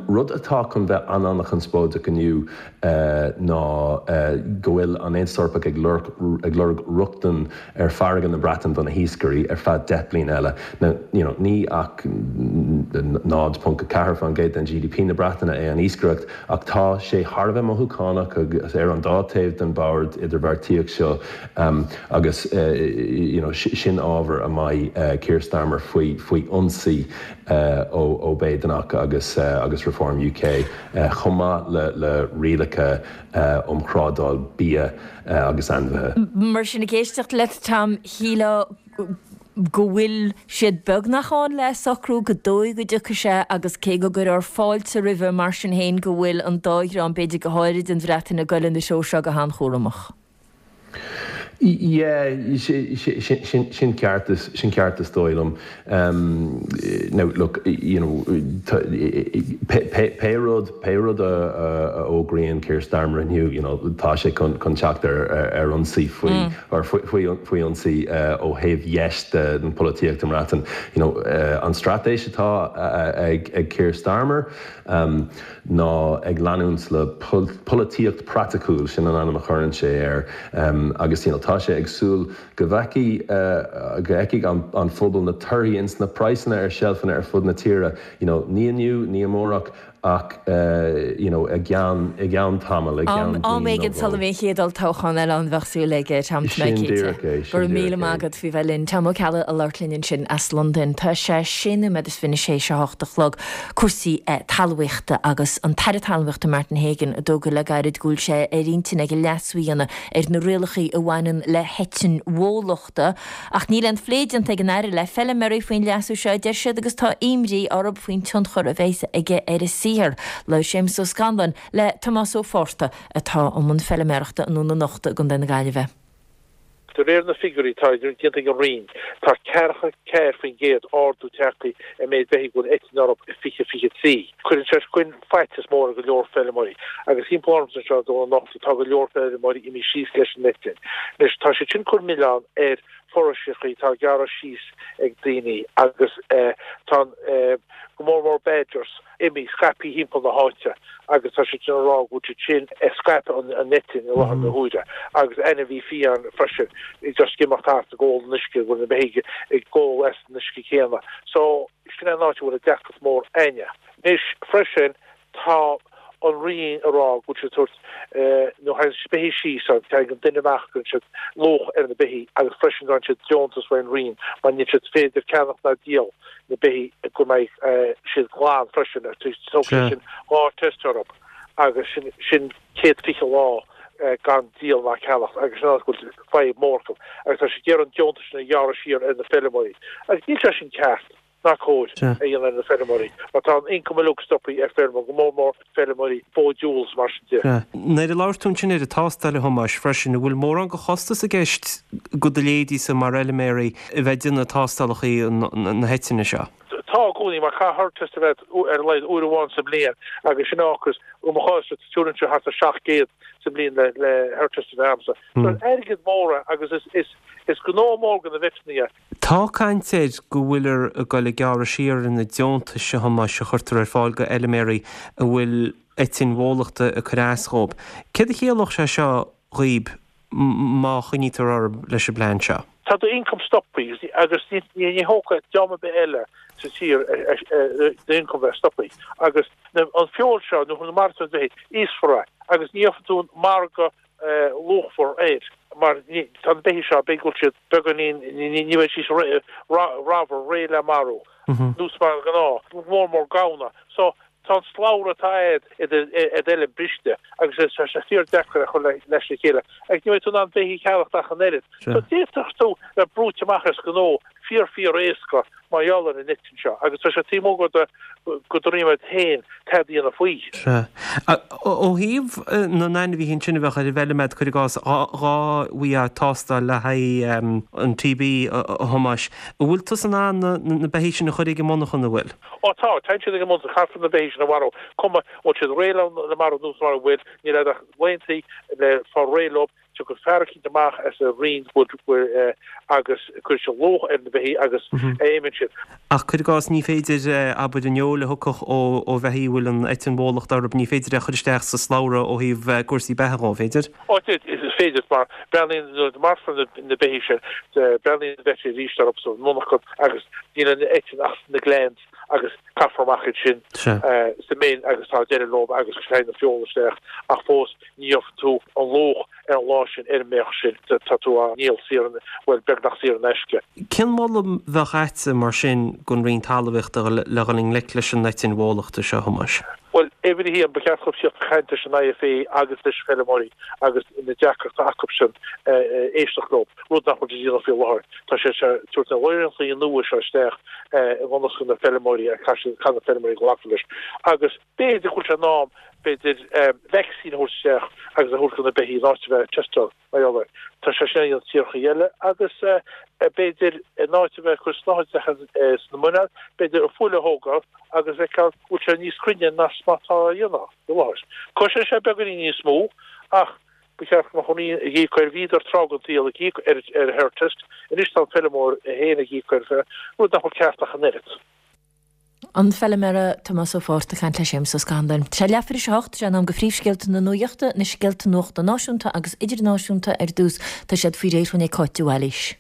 Rud atá chun bheith an-an-chonspóideach inniu ná go bhfuil an Aontas Eorpach ag lorg ag lorg rochtain ar farraige na Breataine do na hiascairí ar feadh 10 bliana eile. Now, you know, ní ach 0.4% den GDP na Breataine é an iascaireacht ach tá sé thar a bheith mothúchánach agus ar an dá taobh den bhord idirbheartaíocht seo agus you know, sin ábhar a mbeidh Keir Starmer faoi faoi ionsaí ó Badenoch agus agus Reform UK chomh maith le le rialacha um thrádáil bia agus ainmhithe. Mar sin, ag éisteacht leat, Tom, shílfeá go bhfuil siad beagnach ann le socrú, gur dóigh go dtiocfaidh sé agus cé go gcuirfear fáilte roimhe, mar sin féin, go bhfuil an dá dhream, b'fhéidir go háirid an Bhreatain, ag goil ina treo seo go han-chúramach. Yeah, sin ceart, sin ceart is dóigh liom. Now, look, you know, pé rud, pé rud a fhógraíonn Keir Starmer inniu, you know, tá sé chun teacht ar ionsaí faoi, or faoi ionsaí ó thaobh dheis den pholaitíocht i mBreatain. You know, an straitéis atá ag Keir Starmer, ná ag leanúint le polaitíocht praiticiúil, sin an ainm a chuireann sé air, agus you know tá sé ag súil go bhfeicfidh, go bhfeicfidh an phobal na torthaí ins na praghsanna ar seilfeanna ar fud na tíre, you know ní inniu, ní amárach ach you know i gceann, i gceann tamaill, i gceann bliain Am éigin nó sula dhó. mbeidh an chéad olltoghchán eile ann bheadh súil aige, Tom, tá mé Sin cinnte. díreach é, Go sin raibh míle díreach maith é. agat faoi bheith linn. Tom Ó Ceallaigh ag labhairt linn ansin as Londain. Tá sé sé nóiméad is 26 a hocht a chlog. Cúrsaí talmhaíochta agus an tAire Talmhaíochta Martin Hegan a d'fhógair le gairid go bhfuil sé ar intinn aige leasú a dhéanamh ar na rialacha a bhaineann le heitinn bhólachta. Ach níl aon phlé déanta ag an Aire le feilméaraí faoin leasú seo, a deir siad, agus tá imní orthu faoin tionchar a bheas aige ar a saothar. Labhair Séamus Ó Scanláin le Tomás Ó Fátharta atá i mbun feilméarachta i nDún na Nochta i gContae na Gaillimhe. De réir na figiúirí atá déanta ag an Roinn, tá 44% ardú tagtha ar méid beithígh a bhfuil eitinn orthu i 2023. Cuireann sé sin faitíos mór ar go leor feilméaraí agus timpeall ormsa anseo i nDún na Nochta tá go leor feilméaraí imithe síos leis an eitinn. Anois tá siad sin ag cur milleán ar foraoiseacha atá á ngearradh síos ag daoine agus tá go mór mór badgers imithe scaipthe thimpeall na háite agus tá siad sin ag rá go bhfuil siad sin ag scaipeadh an eitinn i láthair na huaire agus ainmhí fiáin freisin just ag imeacht thart ag ól an uisce go bhfuil na beithígh ag ól as an uisce céanna. So sin é an áit a bhfuil an deacracht mór againne. Anois freisin tá an Roinn ag rá go bhfuil siad ag tabhairt nuair a thagann beithígh síos an tagann an duine amach cuireann siad luach ar na beithígh agus freisin faigheann siad deontas ón Roinn mar níl siad féidir ceannach ná díol na beithígh go mbeidh siad glan freisin. Tógfaidh sé sin 2 test orthu agus sin sin 120 lá gan díol ná ceannacht agus sin go bhfuil fadhb mór acu agus tá siad ag iarraidh an deontas sin a ghearradh siar ar na feilméaraí agus níl sé sin ceart ná cóir a dhéanamh ar na feilméaraí mar tá an income uilig stoptha ar feirme go mór mór feilméaraí bó diúil is mar sin de. Nuair a labhair tú ansin ar an tástáil, a Thomáis, freisin, an bhfuil mórán de chostas i gceist do do leithéidíse mar fheilméaraí a bheith ag déanamh tástálacha na heitinne seo? Tá i gcónaí, mar caithfidh herd test a bheith ar a laghad uair amháin sa mbliain agus sin ocras, i mo chás tuairim is thart ar 700 sa mbliain le herd test a bheith agamsa. So is airgead mór é agus is gnó mór do na veteanna é. Tá caint air go bhfuilear ag dul ag gearradh siar ar na deontais, a Thomáis, a chuirtear ar fáil go fheilméaraí a bhfuil eitinn bhólachta ag cur as dhóibh. Céard a chiallódh sé seo dhaoib má choinnítear orthu leis an bplean seo? Tá do income stoptha agus ní thógfadh dream ar bith eile sa tír do income bheith stoptha agus an feoil seo nuair a mharaíonn tú an bheithígh, íosfar é agus ní gheobhaidh tú an margadh luachmhar air mar tá na beithígh seo, b'fhéidir go bhfuil siad beagáinín, ní bheidh siad ramhar, réidh le marú, nós mar ghnáth, go mór mór gamhna. So. Tá an slabhra atá a'd i d'fheilm briste agus tá sé fíor deacair a chur leis le chéile agus ní bheidh tú in ann beithígh a cheannacht ach an oiread. So d'fhéadfadh tú bheith brúite amach as gnó fíor fíor éasca mar gheall ar an eitinn seo agus tá sé taobh amuigh de go dtrímid féin tada a dhéanamh faoi. Sea. Ó thaobh na n-ainmhithe ansin a bheadh ar an bhfeilm a'd, cuir i gcás, dhá bhfaighfeá tástáil le haghaidh an TB, a Thomáis, an bhfuil tusa in ann na beithígh sin a chur ag an monarchan, an bhfuil? Ó tá, téann siad ag an monarchan, caithfear na beithígh sin a mharú, cuma an bhfuil siad réidh le marú nó mura bhfuil, níl a'd ach laethanta le fáil réidh leo, tiocfaidh fear eicínt amach as an Roinn agus cuirfidh sé luach ar na beithígh agus imíonn siad. Ach cuir i gcás, ní féidir, abair, an fheoil a thiocfadh ó bheithígh a bhfuil an eitinn bhólachta orthu, ní féidir é a chur isteach sa slabhra ó thaobh cúrsaí beatha dhó, an féidir? Ó, is féidir, mar breathnaíonn, nuair a marfar na beithígh sin, breathnaíonn an veterinary arís orthu sa mhonarchan agus níl an eitinn ach sna glands agus caithfear amach iad sin sa mbin agus tá deireadh leo agus téann an feoil isteach ach fós ní gheobhaidh tú an luach ar an lá sin ar an mbeach sin, tá tú á ndíol saor in, bhuel, beagnach saor in aisce. Cén moladh a bheadh a'dsa mar sin don Roinn Talmhaíochta le dhul i ngleic leis an eitinn bhólachta seo, a Thomáis? Bhuel, uimhir a haon, ba cheart dóibh tíocht ag caint leis an IFA agus leis na feilméaraí agus na deacrachtaí acu sin éisteacht leo, rud nach bhfuil siad a dhéanamh faoi láthair. Tá siad ag tabhairt na rialacha nua seo isteach i ngan fhios do na feilméaraí agus caithfidh na feilméaraí glacadh leis. Agus b'fhéidir go bhfuil sé in am, b'fhéidir, vacsaín a thabhairt isteach agus a thabhairt do na beithígh in áit a bheith ag teisteáil. Mar gheall air. Tá sé sin á dhéanamh tíorthaí eile agus b'fhéidir in áit a bheith ag cur snáthaid isteach sna muineál, b'fhéidir an fuil a thógáil agus feiceáil go bhfuil sé níos cruinne ná mar atá á dhéanamh faoi láthair. Cosnóidh sé beagáinín níos mó ach ba cheart go mbeadh an Roinn ag íoc air. Bhíodar tráth den tsaol ag íoc ar ar herd test, anois tá an feilméara féin ag íoc air, rud nach bhfuil ceart ach an oiread. An feilméara Tomás Ó Fátharta ag caint le Séamus Ó Scanláin. Tá sé leathuair tar éis a hocht, sé in am do phríomhscéalta na nuachta, na scéalta nuachta náisiúnta agus idirnáisiúnta ar dtús. Tá siad faoi réir dhúinn ag Cáit de Bhailís.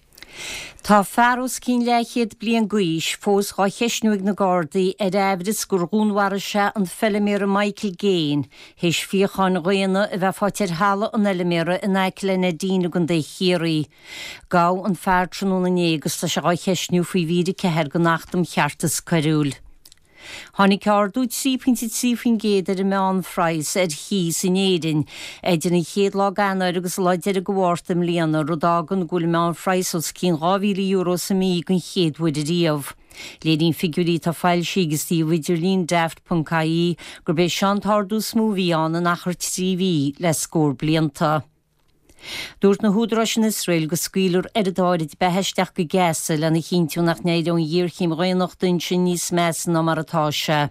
Tá fear os cionn leathchéad bliain d'aois fós dhá cheistniú ag na Gardaí ar aimhreas gur dhúnmharaigh sé an feilméara Michael Gaine théis fíocháin dhaonna a bheith faighte ar thalamh an fheilméara in aice le Neidín i gContae Chiarraí. Gabhadh an fear tráthnóna inné agus tá sé dhá cheistniú faoi mhír 4 den Acht um Cheartas Coiriúil. Tháinig ardú 3.3% ar an meánphraghas ar chíos in Éirinn idir an chéad lá d'Eanáir agus an lá deiridh de Mhárta i mbliana, rud a fhágann go bhfuil an meánphraghas os cionn €2,000 sa mhí den chéad uair ariamh. Léiríonn figiúirí atá foilsithe ag an suíomh idirlín Daft.ie gurb é seo an t-ardú is mó a bhí ann in achar 3 mhí le scór blianta. Dúirt na húdaráis in Iosrael go scaoilfear oiread áirid beatha isteach go Gaza lena chinntiú nach n-éireoidh an ghéarchéim dhaonnachta ansin níos measa ná mar atá sé.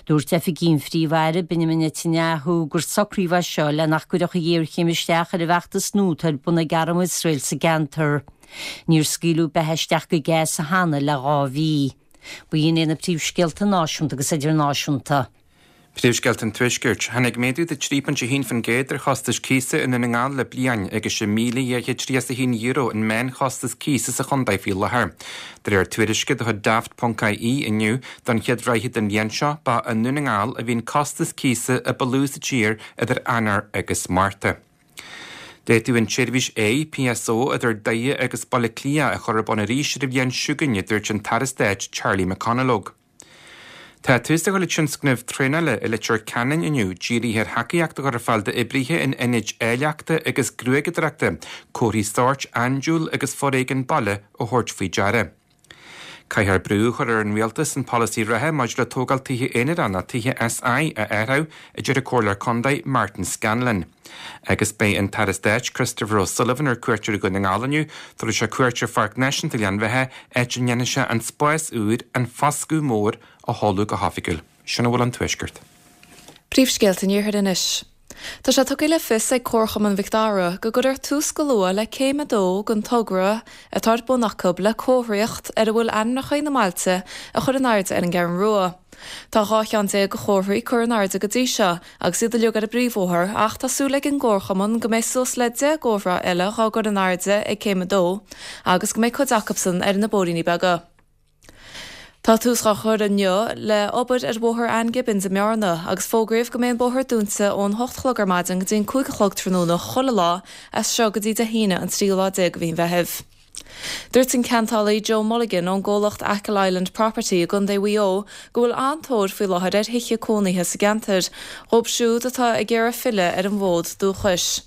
Dúirt oifigigh an Phríomh-Aire, Benjamin Netanyahu, gur socraíodh é seo le nach gcuirfeadh an ghéarchéim isteach ar an bhfeachtas nua atá ar bun ag arm Iosrael sa gceantar. Níor scaoileadh beatha isteach go Gaza cheana le 2 mhí. B'in iad na príomhscéalta náisiúnta agus idirnáisiúnta. Príomhscéalta an Tuaiscirt. Tháinig méadú de 3.1% ar chostais cíosa i nDún na nGall le bliain, agus €6,231 an meánchostas cíosa sa chontae faoi láthair. De réir tuairisce de chuid Daft.ie inniu, don chéad ráithe den bhliain seo, ba i nDún na nGall a bhí an costas cíosa a ba lú sa tír idir Eanáir agus Márta. D'fhéadfadh an tseirbhís APSO idir Doire agus Baile Átha Cliath a chur ar bun arís ar an bhliain seo chugainn, a dúirt an tAire Stáit Charlie McConalogue. Tá tús á chur le tionscnamh traenála i Leitir Ceanainn inniu, dírithe ar thacaíocht a chur ar fáil d'oibrithe in ionaid áilleachta agus gruaigeadóireachta, comharthaí sóirt andúil agus foréigean baile a thabhairt faoi deara. Caithfear brú a chur ar an rialtas an polasaí reatha maidir le tógáil tithe aonarach nó tithe SI a athrú, a deir an Comhairleoir Contae Martin Scanlon. Agus beidh an tAire Stáit Christopher O'Sullivan ar cuairt ar Dhún na nGall inniu. Tabharfaidh sé cuairt ar Pháirc Náisiúnta Ghleann Bheatha, áit a ndéanfaidh sé an spás úr, An Foscadh Mór, a sheoladh go hoifigiúil. Sin a bhfuil ón Tuaisceart. Príomhscéalta an Iarthair anois. Tá sé tugtha le fios ag Comharchumann Mhic Dara go gcuirfear tús go luath le céim a dó den togra atá ar bun acu le comharthaíocht ar a bhfuil ainmneacha na mbailte a chur in airde ar an gCeathrú Rua. Tá 12 cheann de chomharthaí curtha in airde go dtí seo agus iad uilig ar an bpríomhbhóthar ach tá súil ag an gcomharchumann go mbeidh suas le 10 gcomhartha eile dhá gcur in airde ag céim a dó agus go mbeidh cuid acubsan ar na bóithríní beaga. Tá tús dhá chur inniu le obair ar Bhóthar Ann Gibbons i mBearna agus fógraíodh go mbeidh an bóthar dúnta ón hocht a chlog ar maidin go dtí an 5 a chlog tráthnóna chuile lá as seo go dtí Dé hAoine an tríú lá déag de mhí an Mheithimh. Dúirt an ceantálaí Joe Mulligan ón gcomhlacht Achill Island Property i gContae Mhaigh Eo go bhfuil an-tóir faoi láthair ar thithe cónaithe sa gceantar, dhóibh siúd atá ag iarraidh filleadh ar an bhfód dúchais.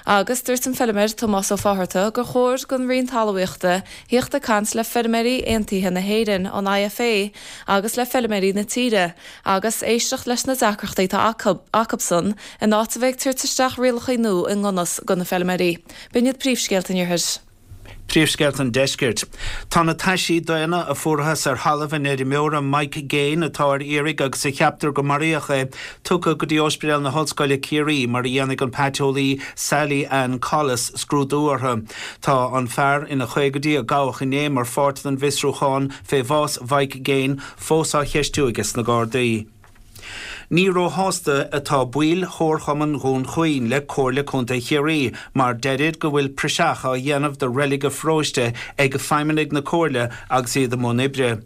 Agus dúirt an feilméar Tomás Ó Fátharta gur chóir don Roinn Talmhaíochta thíocht ag caint le Feirmeoirí Aontaithe na hÉireann, an IFA, agus le feilméaraí na tíre agus éisteacht leis na deacrachtaí atá acu, acusan, in áit a bheith ag tabhairt isteach rialacha nua i ngan fhios do na feilméaraí. B'in iad príomhscéalta an Iarthair. Príomhscéalta an Deiscirt. Tá na taisí daonna a fuarthas ar thalamh an fheirmeora Mike Gaine, atá ar iarraidh agus a cheaptar go maraíodh é, tugtha go dtí Ospidéal na hOllscoile Ciarraí mar a dhéanfaidh an paiteolaí Sally Ann Collis scrúdú orthu. Tá an fear ina chaogaidí a gabhadh inné mar pháirt den bhfiosrúchán fé bhás Mhike Gaine fós á cheistiú aige sna Gardaí. Ní róshásta atá baill Chomharchumann Dhún Chaoin le Comhairle Contae Chiarraí mar deirid go bhfuil praiseach á dhéanamh de reilig a pharóiste ag feidhmeannaigh na Comhairle agus iad i mbun oibre.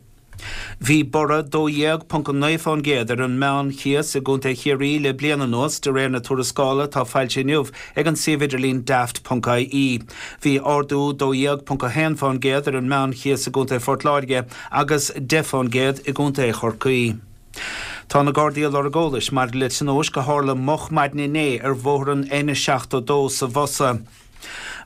Bhí borradh 12.9% ar an meán-chíos i gContae Chiarraí le bliain anuas, de réir na tuarascála atá foilsithe inniu ag an suíomh idirlín Daft.ie. Bhí ardú 12.1% ar an meán-chíos i gContae Phort Láirge agus 10% i gContae Chorcaí. Tá na Gardaí ag lorg eolais maidir le tionóisc a tharla moch maidin inné ar bhóthar an N72 sa Bhosa.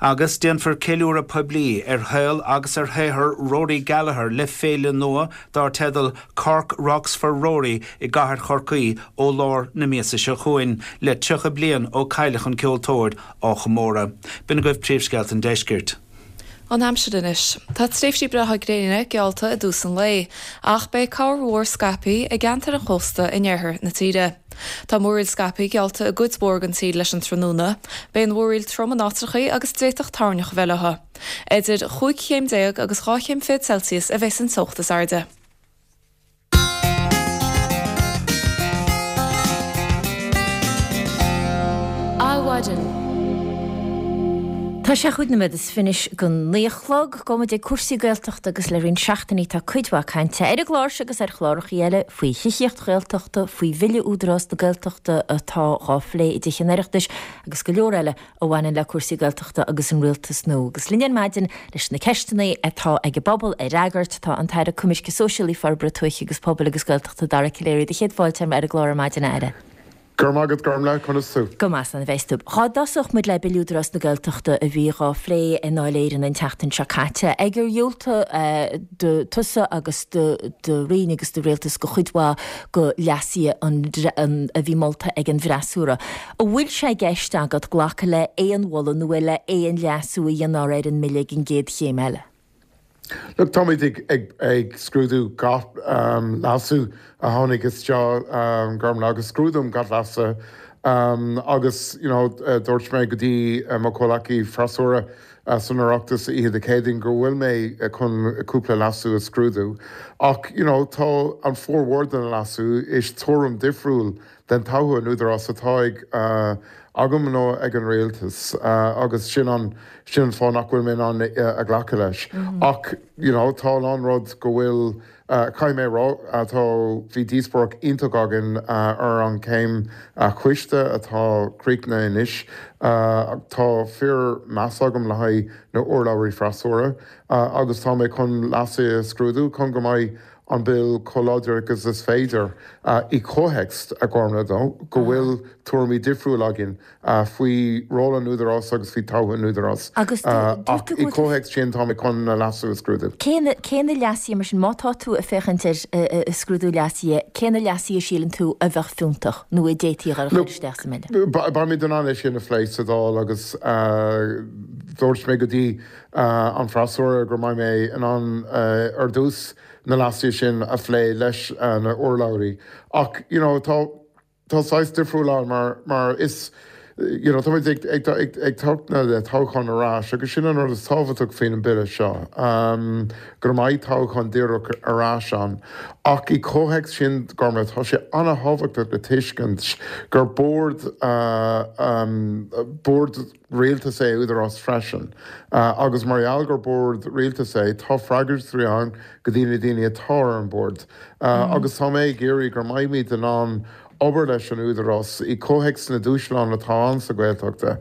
Agus déanfar ceiliúradh poiblí ar shaol agus ar shaothar Rory Gallagher le féile nua dar teideal Cork Rocks for Rory i gcathair Chorcaí ó lár na míosa seo chugainn, le 30 bliain ó cailleadh an ceoltóir á chomóradh. B'in agaibh príomhscéalta an deiscirt. An aimsir anois. Tá tréimhsí breátha gréine geallta i dtús an lae, ach beidh corrmhúr scaipthe i gceantair an chósta in oirthear na tíre. Tá múraíl scaipthe geallta i gcuid mhór den tír leis an tráthnóna. Beidh an mhúraíl trom in áiteachaí agus d'fhéadfadh toirneach a bheith leo. Idir chúig chéim déag agus 12 chéim Celsius a bheas an teocht is airde. Adhmhaidin. Tá sé chúig nóiméad is fiche go naoi a chlog. Gabhfaidh muid ag cúrsaí Gaeltachta agus le roinnt seachtainí tá cuid mhaith cainte ar an gclár seo agus ar chlárachaí eile faoi thithíocht Ghaeltachta, faoi Bhille Údarás na Gaeltachta atá dhá phlé i dTithe an Oireachtais agus go leor eile a bhaineann le cúrsaí Gaeltachta agus an rialtas nua. Agus linn ar maidin leis na ceisteanna atá ag an bpobal a fhreagairt, tá an tAire Coimirce Sóisialaí, Forbartha Tuaithe agus Pobail agus Gaeltachta, Dara Calleary. Do chéad fáilte ar an gclár ar maidin, a Aire. Go raibh maith agat, Gormlaith, conas tú? Go maith, slán a bheas tú. Dhá dtosódh muid le Bille Údarás na Gaeltachta a bhí dhá phlé i nDáil Éireann an tseachtain seo caite, ag ar dhiúltaigh do tusa agus do do roinn agus do rialtas do chuid mhaith de leasuithe an a bhí molta ag an bhfreasúra. An bhfuil sé i gceist agat glacadh le haon mholadh nó le haon leasú a dhéanfar ar an mBille ag an gcéad chéim eile? Look, táimid ag scrúdú gach leasú a tháinig isteach, Gormlaith, agus scrúdaím gach leasú agus, you know, dúirt mé go dtí mo chomhleacaí freasúra san Oireachtas oíche Dé Céadaoin go bhfuil mé chun cúpla leasú a scrúdú ach, you know, tá an formhór de na leasú, is tuairim difriúil den toghadh an Údarás atá ag agam nó ag an Rialtas agus sin an sin an fáth nach bhfuil mé in ann a ghlacadh leis. Ach you know tá a lán rud go bhfuil caithfidh mé a rá tá bhí díospóireacht iontach againn ar an chéim choiste atá críochnaithe anois. Tá fíor meas agam le haghaidh na urlabhraí freasúra agus tá mé chun leasuithe a scrúdú chun go mbeidh an Bill chomh láidir agus is féidir i gcomhthéacs, a Ghormlaith, go bhfuil tuairimí difriúil againn faoi ról an Údarás agus faoi toghadh an Údarás. Agus dúirt Ach tú i go bhfuil tú. gcomhthéacs sin tá mé chun na leasú a scrúdú. Cé na, cé na leasuithe mar sin, má tá tú ag féachaint ar scrúdú leasuithe, cé na leasuithe a síleann tú a bheadh fiúntach nó a d'fhéadfaí a chur Look, isteach sa mBille? beimid in ann é sin a phlé sa Dáil agus dúirt mé go dtí an freasúra go mbeidh mé in ann ar dtús na leasuithe sin a phlé leis na urlabhraí. Ach you know tá tá saghas difriúil ann mar mar is you know táimid ag ag ag ag tabhairt na toghcháin ar ais agus sin an rud is tábhachtach faoin an bille seo go mbeidh toghchán díreach ar ais ann. Ach i comhthéacs sin Gormlaith tá sé an-thábhachtach le tuiscint gur bord bord rialtais é Údarás freisin agus mar gheall gur bord rialtais é tá freagrachtaí ann go dtí na daoine atá ar an bord agus tá mé ag iarraidh go mbeimid in ann. obair leis an Údarás i comhthéacs na dúshlán atá ann sa Ghaeltachta,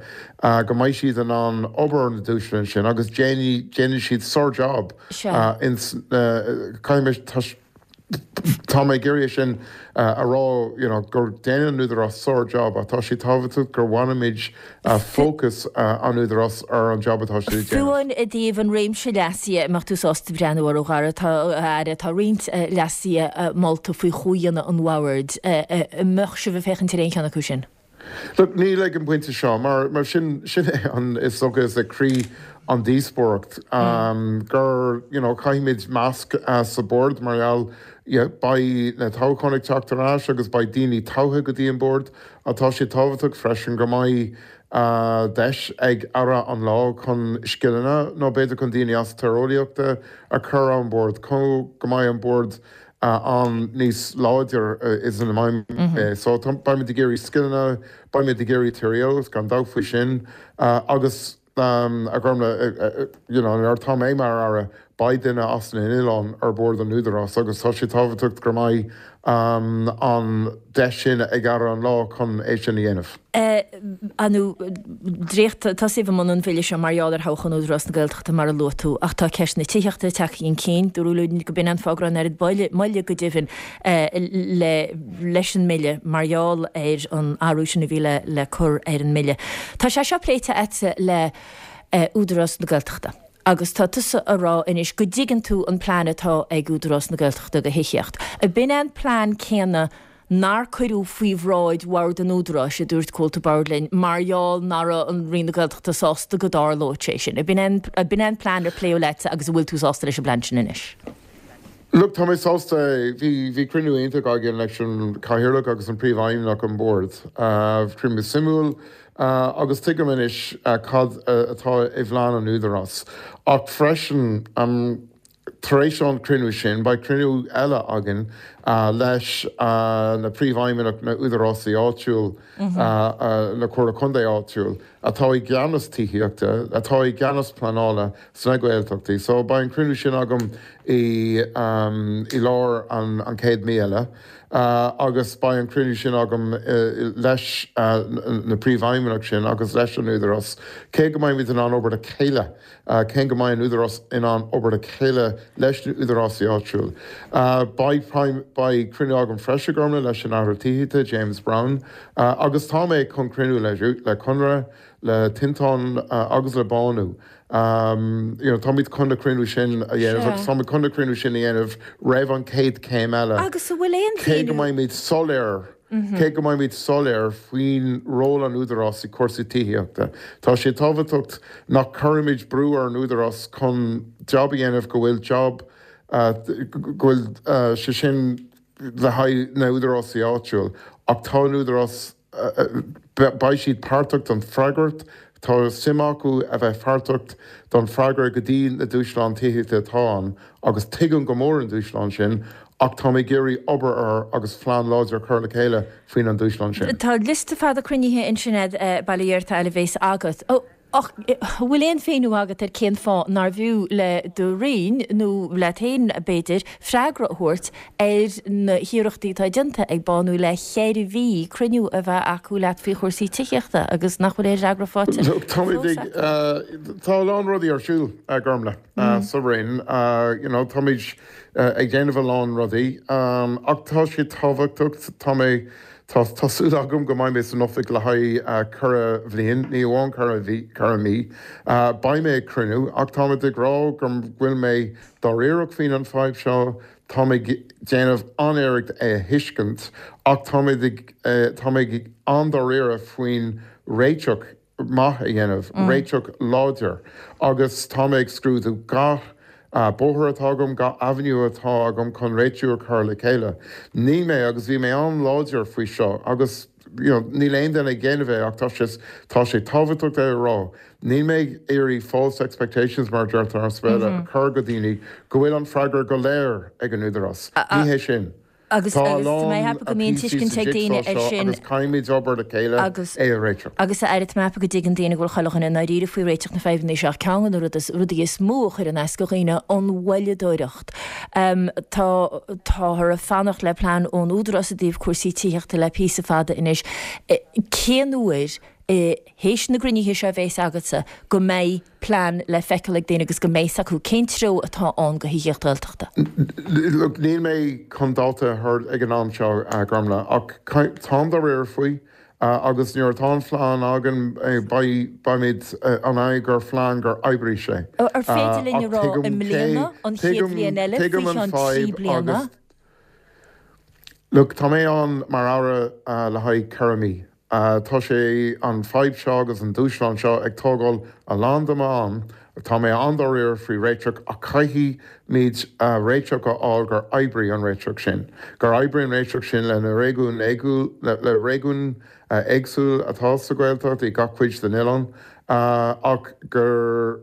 go mbeidh siad in ann obair ar na dúshláin sin agus déanfaidh siad sár-job ins na, caithfidh mé, tá mé ag iarraidh é sin a rá, you know, gur déanann an Údarás sár-job ach tá sé tábhachtach gur bhainimid fócas an Údarás ar an job atá siad ag déanamh. Fiú amháin i dtaobh an réimse leasuithe, an mbeadh tú sásta breathnú orthu, a Dhara, tá, a Aire, tá roinnt leasuithe molta faoi chomhdhéanamh an bhoird. An mbeadh sibh ag féachaint ar aon cheann acu sin? Look, níl ag an bpointe seo, mar, mar sin, sin é an, is dócha, is é croí an díospóireacht, gur, you know, caithfimid measc sa bord mar gheall, yeah, beidh na toghcháin ag teacht ar ais agus beidh daoine toghtha go dtí an bord ach tá sé tábhachtach freisin go mbeidh deis ag Aire an lá chun scileanna nó b'fhéidir chun daoine as tíreolaíochta a chur ar an bord chun go mbeidh an bord ann níos láidir is ina mbeidh. So beimid ag iarraidh scileanna, beimid ag iarraidh tíreolas, gan dabht faoi sin, agus a Ghormfhlaith, you know, nuair atá mé mar Aire, beidh duine as na n-oileán ar bord an Údarás agus tá sé tábhachtach go mbeidh an deis sin ag Aire an lá chun é sin a dhéanamh. Ar ndóigh, dréacht, tosaíodh i mbun an bhille seo mar gheall ar thoghchán Údarás na Gaeltachta mar a luaigh tú, ach tá ceist na tithíochta tagtha chun cinn. Dúradh linn go b'in an fáth go raibh an oiread moille, moille go deimhin, le, leis an mbille mar gheall ar an athrú sin a bhí le, le cur ar an mbille. Tá sé seo pléite agatsa le Údarás na Gaeltachta agus tá tusa a rá anois go dtuigeann tú an plean atá ag Údarás na Gaeltachta do thithíocht. Ab in é an plean céanna nár cuireadh faoi bhráid Bhord an Údaráis, a dúirt comhalta boird linn, mar gheall nach raibh an Roinn na Gaeltachta sásta go dtarlódh sé sin. Ab in é ab in é an plean ar pléadh leatsa agus an bhfuil tú sásta leis an bplean sin anois? Look, tá mé sásta. Bhí bhí cruinniú iontach againn leis an Cathaoirleach agus an Príomhfheidhmeannach an Bord. Cruinniú suimiúil agus tuigim anois cad atá i bplean an Údarás. Ach freisin, Tar éis an cruinniú sin, beidh cruinniú eile againn leis na príomhfheidhmeannaigh na údarásaí áitiúil, na Comhairle Contae áitiúil, atá i gceannas tithíochta, atá i gceannas pleanála sna Gaeltachtaí. So beidh an cruinniú sin agam i i lár an chéad mí eile agus beidh an cruinniú sin agam leis na príomhfheidhmeannaigh sin agus leis an Údarás, cé go mbeimid in ann obair le chéile. Cé go mbeidh an Údarás in ann obair le chéile leis na údarásaí áitiúil. Beidh beidh cruinniú agam freisin, Gormlaith, leis an Aire Tithíochta, James Browne, agus tá mé chun cruinniú le le Conradh, le Tinteán agus le Bánú. You know, táimid chun na cruinniú sin a dhéanamh agus táimid chun na cruinniú sin a dhéanamh roimh an chéad chéim eile. Agus an bhfuil aon Cé go mbeimid soiléir Cé go mbeimid soiléir faoin ról an Údarás i cúrsaí tithíochta, tá sé tábhachtach nach cuirimid brú ar an Údarás chun jab a dhéanamh go bhfuil jab go bhfuil sé sin le haghaidh na údarásaí áitiúil ach tá an Údarás beidh siad páirteach don freagairt Tá suim acu a bheith páirteach don freagra go dtí na dúshláin tithíochta atá ann agus tuigim go mór an dúshlán sin ach táim ag iarraidh obair air agus phlean láidir a chur le chéile faoin an dúshlán sin. Tá liosta fada cruinnithe ansin agat, bail ó Dhia ort a fhad a bhéas agat. Ach an bhfuil aon mhíniú agat ar cén fáth nárbh fhiú le do Roinn, nó leat féin b'fhéidir, freagra a thabhairt ar na hiarrachtaí atá déanta ag Bánú le ceithre mhí cruinniú a bheith acu leat faoi chúrsaí tithíochta agus nach bhfuil aon fhreagra faighte Look, táimid ag, tá a lán rudaí ar siúl, a Ghormlaith, sa Roinn. You know, táimid ag déanamh a lán rudaí ach tá sé tábhachtach, tá mé, tá, tá súil agam go mbeidh mé san oifig le haghaidh ceithre bhliain, ní amháin ceithre mhí, ceithre mí. Beidh mé ag cruinniú ach táimid ag rá go bhfuil mé dáiríreach faoin an fadhb seo, Tá mé ag déanamh an-iarracht é a thuiscint ach tá mé ag tá mé an-dáiríre faoin réiteach maith a dhéanamh, réiteach láidir agus tá mé ag scrúdú gach bóthar atá agam, gach avenue atá agam chun réitiú a chur le chéile. Níl mé, agus bhí mé an-láidir faoi seo agus you know níl aon duine ag déanamh é ach tá sé tá sé tábhachtach é a rá, Níl mé ag iarraidh false expectations, mar a deirtear as Béarla, a chur go daoine go bhfuil an freagra go léir ag an Údarás. Ní hé sin. Agus Tá a agus tá mé lán ag ceapadh go mbíonn píosaí sa tuiscint ag daoine jigsaw ar seo sin agus caithfimid obair le chéile agus é a réiteach. Agus a Aire, tá mé ag ceapadh go dtuigeann daoine go bhfuil chuile dhuine i ndáiríre faoi réiteach na fadhbanna seo ach ceann de na rudaí is mó a chuireann as do dhaoine, an mhoilleadóireacht. Tá táthar ag fanacht le plean ón Údarás i dtaobh cúrsaí tithíochta le píosa fada anois. Cén uair, théis na gcruinnithe seo a bhéas agatsa, go mbeidh plean le feiceáil ag daoine agus go mbeidh 's acu cén treo atá ann do thithíocht Ghaeltachta? Look, níl mé chun dáta a thabhairt ag an am seo, a Ghormfhlaith, ach táim dáiríre faoi. Agus nuair atá an phlean againn, beimid in ann gur phlean gur oibrigh sé. Ar féidir linn a rá i mbliana, an chéad bhliain eile, faoi cheann 3 bliana? Look, tá mé ann mar Aire le haghaidh 4 mí. Tá sé, an fadhb seo agus an dúshlán seo ag tógáil a lán de m'am. Tá mé an-dáiríre faoi réiteach ach caithfimid réiteach a fháil gur oibrigh an réiteach sin, gur oibrigh an réiteach sin le na réigiúin le réigiúin éagsúil atá sa Ghaeltacht i gach cuid den oileán ach gur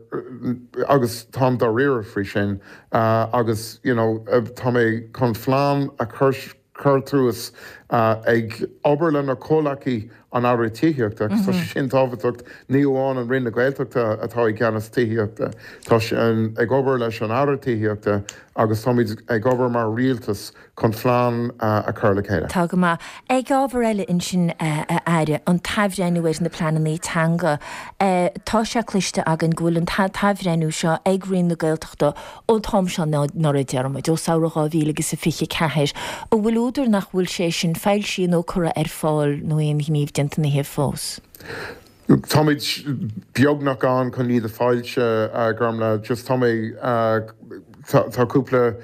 agus táim dáiríre faoi sin agus you know tá mé chun phlean a chur cur suas, ag obair le na comhleacaí an Aire Tithíochta, agus tá sé sin tábhachtach, ní amháin an Roinn na Gaeltachta atá i gceannas tithíochta, tá sé ag obair leis an Aire Tithíochta agus táimid ag obair mar rialtas chun phlean a chur le chéile. Tá go maith. Ag ábhar eile ansin, a Aire, an t-athbhreithniú ar na pleananna teanga. Tá sé cloiste againn go bhfuil an t-athbhreithniú seo ag Roinn na Gaeltachta Ón t-am seo anuraidh, déarfaidh muid, ó samhradh 2000 agus a 24, an bhfuil údar nach bhfuil sé sin foilsithe nó curtha ar fáil nó aon ghníomh déanta ina thaobh fós? Táimid beagnach ann chun iad a foilsiú, a Ghormfhlaith. Just tá mé, tá cúpla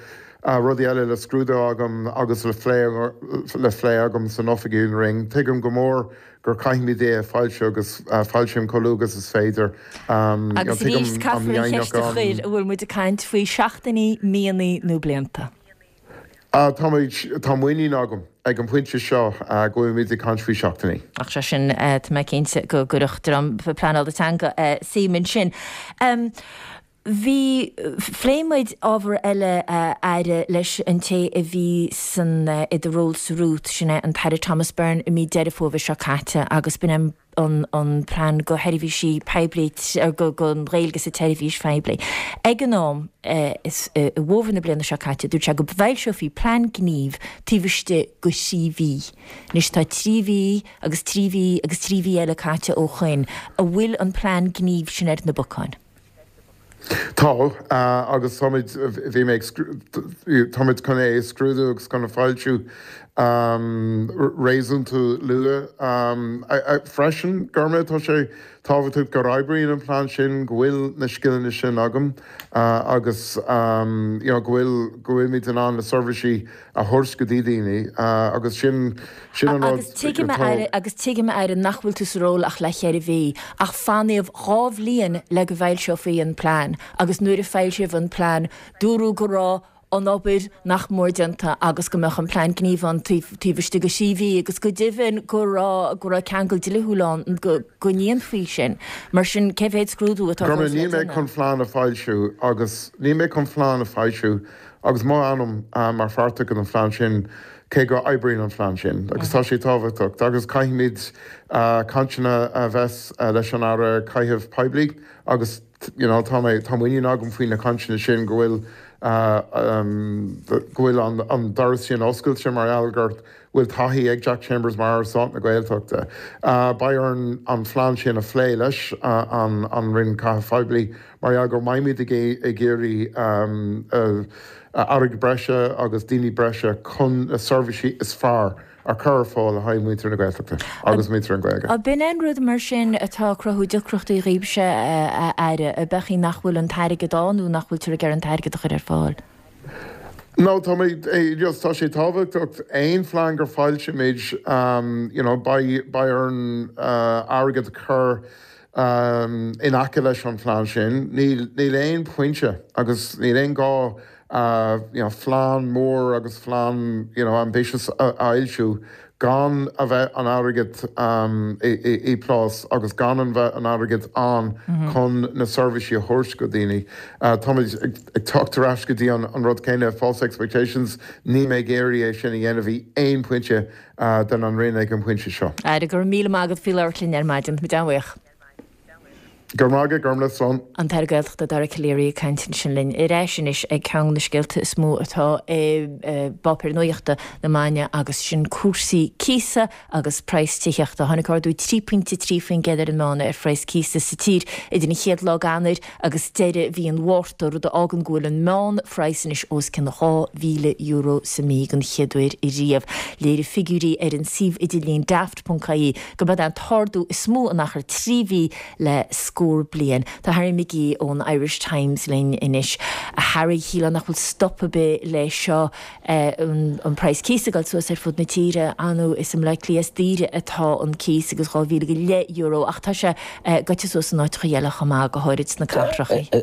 rudaí eile le scrúdú agam agus le phlé, le phlé agam san oifig in Roinn. Tuigim go mór gur caithfimid é a foilsiú agus foilsím chomh luath agus is féidir. Agus arís, caithfear an cheist a chur, an bhfuil muid ag caint faoi seachtainí, míonna nó blianta? Táimid, tá muinín agam ag an bpointe seo go bhfuilimid ag caint faoi seachtainí. Ach sé sin, tá mé cinnte go gcuirfeadh dream pleanála teanga suim ansin. Bhí, phléigh muid ábhar eile, a Aire, leis an té a bhí san, i do ról sa Rút, sin é an tAire Thomas Byrne i mí Deireadh Fómhair seo caite agus b'in é an, an plean do sheirbhísí poiblí, do, don Ghaeilge sa tseirbhís phoiblí. Ag an am, i bhfómhar na bliana seo caite, dúirt sé go bhfoilseofaí plean gnímh taobh istigh de thrí mhí. Anois tá trí mhí agus trí mhí agus trí mhí eile caite ó shoin. An bhfuil an plean gnímh sin ar na bacáin? Tá, agus táimid, bhí mé ag, táimid chun é a scrúdú agus chun a foilsiú réasúnta luath freisin. Gormfhlaith, tá sé tábhachtach gur oibríonn an plean sin, go bhfuil na scileanna sin agam agus you know go bhfuil, go bhfuilimid in ann na seirbhísí a thabhairt go dtí daoine agus sin, sin an rud Agus tuigim, a Aire, agus tuigim, a Aire, nach bhfuil tú sa ról ach le ceithre mhí, ach fanaíodh 2 bhliain le go bhfoilseofaí an plean agus nuair a foilsíodh an plean, dúradh go raibh an obair nach mór déanta agus go mbeadh an plean gnímh ann taobh, taobh istigh de thrí mhí agus go deimhin go raibh, go raibh ceangal dlíthiúil ann go, go ndéanfaí sin. Mar sin, cé mhéad scrúdú atá fós le déanamh? Níl mé chun plean a foilsiú agus níl mé chun plean a foilsiú Agus mo ainm mar pháirt den phlean sin, cé go oibríonn an phlean sin, agus tá sé tábhachtach, agus caithfimid cainteanna a bheith leis an Aire Caitheamh Poiblí agus you know tá mé, tá muinín agam faoi na cainteanna sin go bhfuil, go bhfuil an doras sin oscailte mar gheall gur bhfuil taithí ag Jack Chambers mar Aire Stáit na Gaeltachta. Beidh orainn an phlean sin a phlé leis an Roinn Caitheamh Phoiblí mar gheall go mbeimid ag iarraidh airgead breise agus daoine breise chun na seirbhísí is fearr a chur ar fáil le haghaidh muintir na Gaeltachta agus muintir an Ghaeilge. Ab in an rud mar sin atá ag cruthú deacrachtaí dhaoibhse, a Aire, ab ea nach bhfuil an t-airgead ann nó nach bhfuiltear ag iarraidh an t-airgead a chur ar fáil? No, tá mé, just tá sé tábhachtach aon phlean gur foilsímid, you know, beidh, beidh orainn airgead a chur in aice leis an phlean sin. Níl, níl aon pointe agus níl aon gá you know phlean mór agus phlean you know ambitious a fhoilsiú. Gan a bheith an airgead i bplás agus gan an bheith an airgead ann chun na seirbhísí a thabhairt go daoine. Táimid ag teacht ar ais go dtí an rud céanna, false expectations, níl mé ag iarraidh é sin a dhéanamh i aon pointe den an Roinn ag an bpointe seo. Aire, go raibh míle maith agat faoi labhairt linn ar maidin. Táimid an-bhuíoch. Go raibh maith agat, Gormlaith, slán. An tAire Gaeltachta Dara Calleary ag caint ansin linn. Ar ais anois ag ceann de na scéalta is mó atá i bpáipéir nuachta na maidine agus sin cúrsaí cíosa agus praghas tithíochta. Tháinig ardú 3.3% ar an meán ar phraghas cíosa sa tír idir an chéad lá d'Eanáir agus deireadh mhí an Mhárta, rud a fhágann go bhfuil an meánphraghas anois os cionn €2,000 sa mhí den chéad uair riamh. Léirigh figiúirí ar an suíomh idirlín daft.ie go mbeadh an t-ardú is mó in achar 3 mhí le scór bliain. Tá Harry McGee ón Irish Times linn anois. A Harry, shílfeá nach bhfuil stop ar bith le seo, an praghas cíosa ag dul suas ar fud na tíre, ar ndóigh is i mBleá Cliath is daoire atá an cíos agus €12,500 ach tá sé gaibhte suas in áiteacha eile chomh maith, go háirid sna cathracha.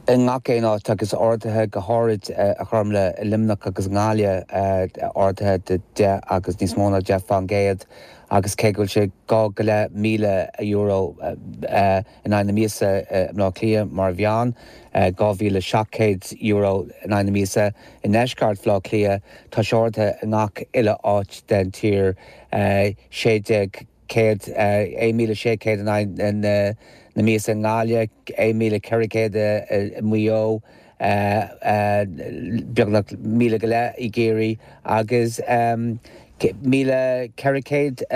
I ngach aon áit agus arduithe go háirid a Ghormlaith i Luimneach agus i nGaillimh, arduithe de 10 agus níos mó ná 10% agus cé go bhfuil sé €2,500 in aghaidh na míosa i mBleá Cliath mar mheán, €2,700 in aghaidh na míosa i ndeisceart Bhaile Átha Cliath, tá sé ardaithe i ngach uile áit den tír, 1,600. 1,600 in aghaidh na míosa i nGaillimh, 1,400 i Maigh Eo, beagnach 1,500 i gCiarraí agus 1,400 i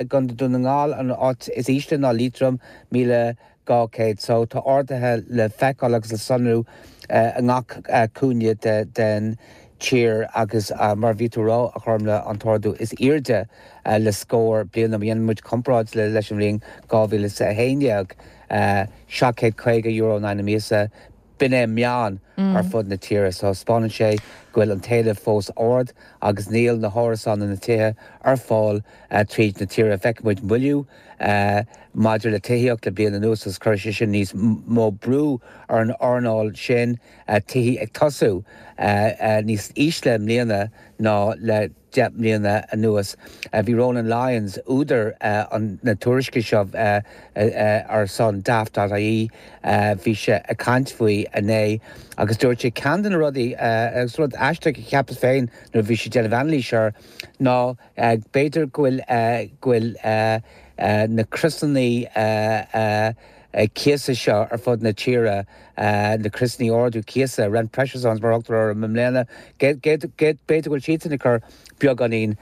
gContae Dún na nGall. An áit is ísle ná Liatroim, 1,200. So tá arduithe le feiceáil agus le sonrú i ngach cúinne den tír agus mar a bhí tú a rá, a Ghormlaith, an t-ardú is airde le scór bliana. Má dhéanann muid comparáid leis an bhliain 2011, €750 in aghaidh na míosa, b'in é an meán ar fud na tíre. So 'spáineann sé go bhfuil an t-éileamh fós ard agus níl na hárasáin nó na tithe ar fáil tríd na tíre. Feicfidh muid moilliú maidir le tithíocht le bliain anuas agus cuirfidh sé sin níos mó brú ar an earnáil sin. Tithí ag tosú níos ísle i mbliana ná le 10 mbliana anuas. Bhí Ronan Lyons, údar na tuairisce seo ar son Daft.ie, bhí sé ag caint faoi inné agus dúirt sé ceann de na rudaí, agus rud aisteach a cheapas féin nuair a bhí sé ag déanamh anailís air, ná b'fhéidir go bhfuil go bhfuil na criosanna cíosa seo ar fud na tíre, na criosanna ardú cíosa, rent pressure zones mar a thugtar orthu i mbliana, b'fhéidir go bhfuil siadsan ag cur beagáinín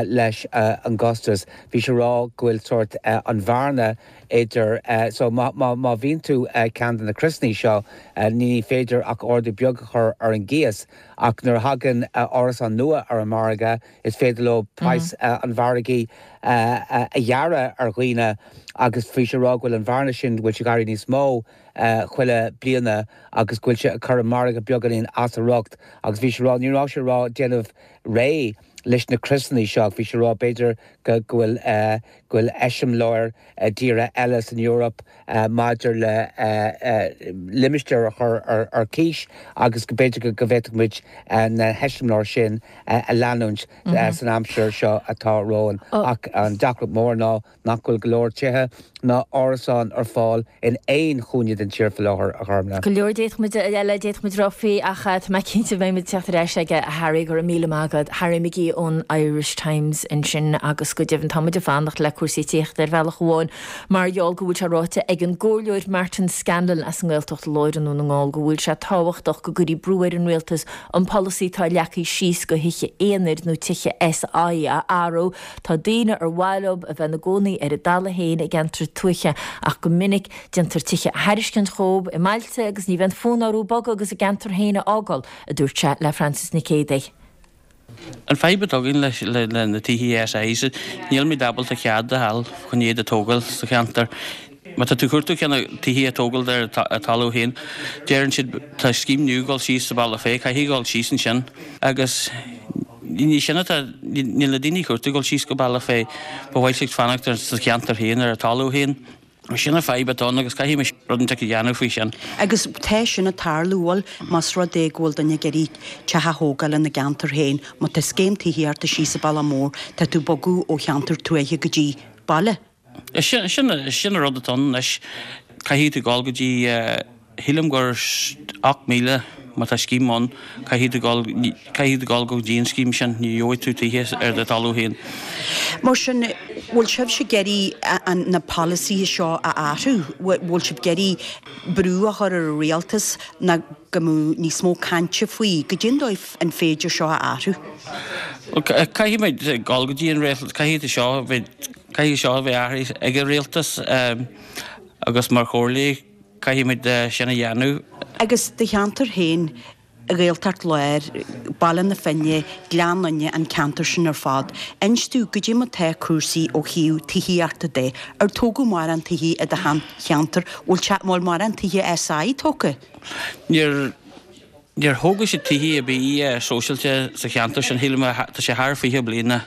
leis an gcostas. Bhí sé ag rá go bhfuil sórt an bhearna idir, so má bhíonn tú ceann de na criosanna seo, ní féidir ach ardú beag a chur ar an gcíos ach nuair a thagann árasán nua ar an margadh, Is féidir leo praghas an mhargaidh a ghearradh ar dhaoine agus bhí sé ag rá go bhfuil an bhearna sin, go bhfuil sé ag éirí níos mó chuile bliana agus go bhfuil sé ag cur an margadh beagáinín as a riocht agus bhí sé ag rá, ní raibh sé ag rá déanamh réidh leis na criosanna seo ach bhí sé ag rá b'fhéidir go bhfuil go bhfuil eiseamláir i dtíortha eile san Eoraip maidir le limistéir a chur ar cíos agus go b'fhéidir go bhféadfadh muid na heiseamláir sin a leanúint san aimsir seo atá romhainn. Ach an deacracht mór ná nach bhfuil go leor tithe ná árasáin ar fáil in aon chúinne den tír faoi láthair, a Ghormlaith. Go leor d'fhéadfadh muid eile d'fhéadfadh muid rá faoi ach tá mé cinnte go mbeidh muid ag teacht ar ais aige a Harry, go raibh míle maith agat. Harry McGee ón Irish Times ansin agus go deimhin tá muid ag fanacht le cúrsaí tithíochta ar bhealach amháin mar gheall go bhfuil sé ráite ag an gComhairleoir Martin Scanlon as an nGaeltacht Láir i nDún na nGall go bhfuil sé tábhachtach go gcuirfí brú ar an Rialtas an polasaí atá leagtha síos do thithe aonair nó tithe SI a athrú Tá daoine ar mhaith leo a bheith ina gcónaí ar a dtalamh féin i gceantar tuaithe ach go minic déantar tithe a thairiscint dhóibh i mbailte agus ní bheidh fonn orthu bogadh agus a gceantar féin a fhágáil, a dúirt sé le Frances Nic Géadaigh. An fadhb atá againn leis le na tithe SIs, nílimid ábalta cead a fháil chun iad a tógáil sa cheantar. Má tá tú ag cuartú ceann tithe a tógáil ar a talamh féin, deireann siad tá scéim nua ag dul síos sa Bealach Féich, caithfidh dul síos ansin agus ní sin atá, níl na daoine ag cuartú dul síos go Bealach Féich, ba mhaith leo fanacht sa cheantar féin ar a talamh féin. Sin an fadhb atá ann agus caithfidh muid rud inteacht a dhéanamh faoi sin. Agus tá sin ag tarlú, bhfuil, más rud é go bhfuil duine ag iarraidh teach a thógáil ina gceantar féin, má tá scéim tithíochta síos sa Bhaile Mór, tá tú ag bogadh ó cheantar tuaithe go dtí baile. Sin, sin, sin an rud atá ann anois. Caithfidh tú dul go dtí, shílim gur 8,000 má tá scéim ann, caithfidh tú dul, caithfidh tú dul go dtí an scéim sin, ní gheobhaidh tú tithe ar do thalamh féin. Mar sin, bhfuil sibhse ag iarraidh na polasaithe seo a athrú? Bhfuil sibh ag iarraidh brú a chur ar an rialtas ná go mbeadh níos mó cainte faoi goidé an dóigh an féidir seo a athrú? Bhuel, caithfidh muid dul go dtí an rialtas, caithfidh seo a bheith, caithfidh seo a bheith athraithe ag an rialtas agus mar chomhairle, Caithfidh muid sin a dhéanamh. Agus do cheantar féin, Gaeltacht Láir, Baile na Finne, Gleann Fhinne, an ceantar sin ar fad, inis domh goidé mar tá cúrsaí ó thaobh tithíochta de. Ar tógadh mórán tithe i do cheantar? Bhfuil teach, bhfuil mórán tithe SI tógtha? Níor, níor thóg siad tithe ar bith sóisialta sa cheantar sin. Shílim, tá sé thar 20 bliana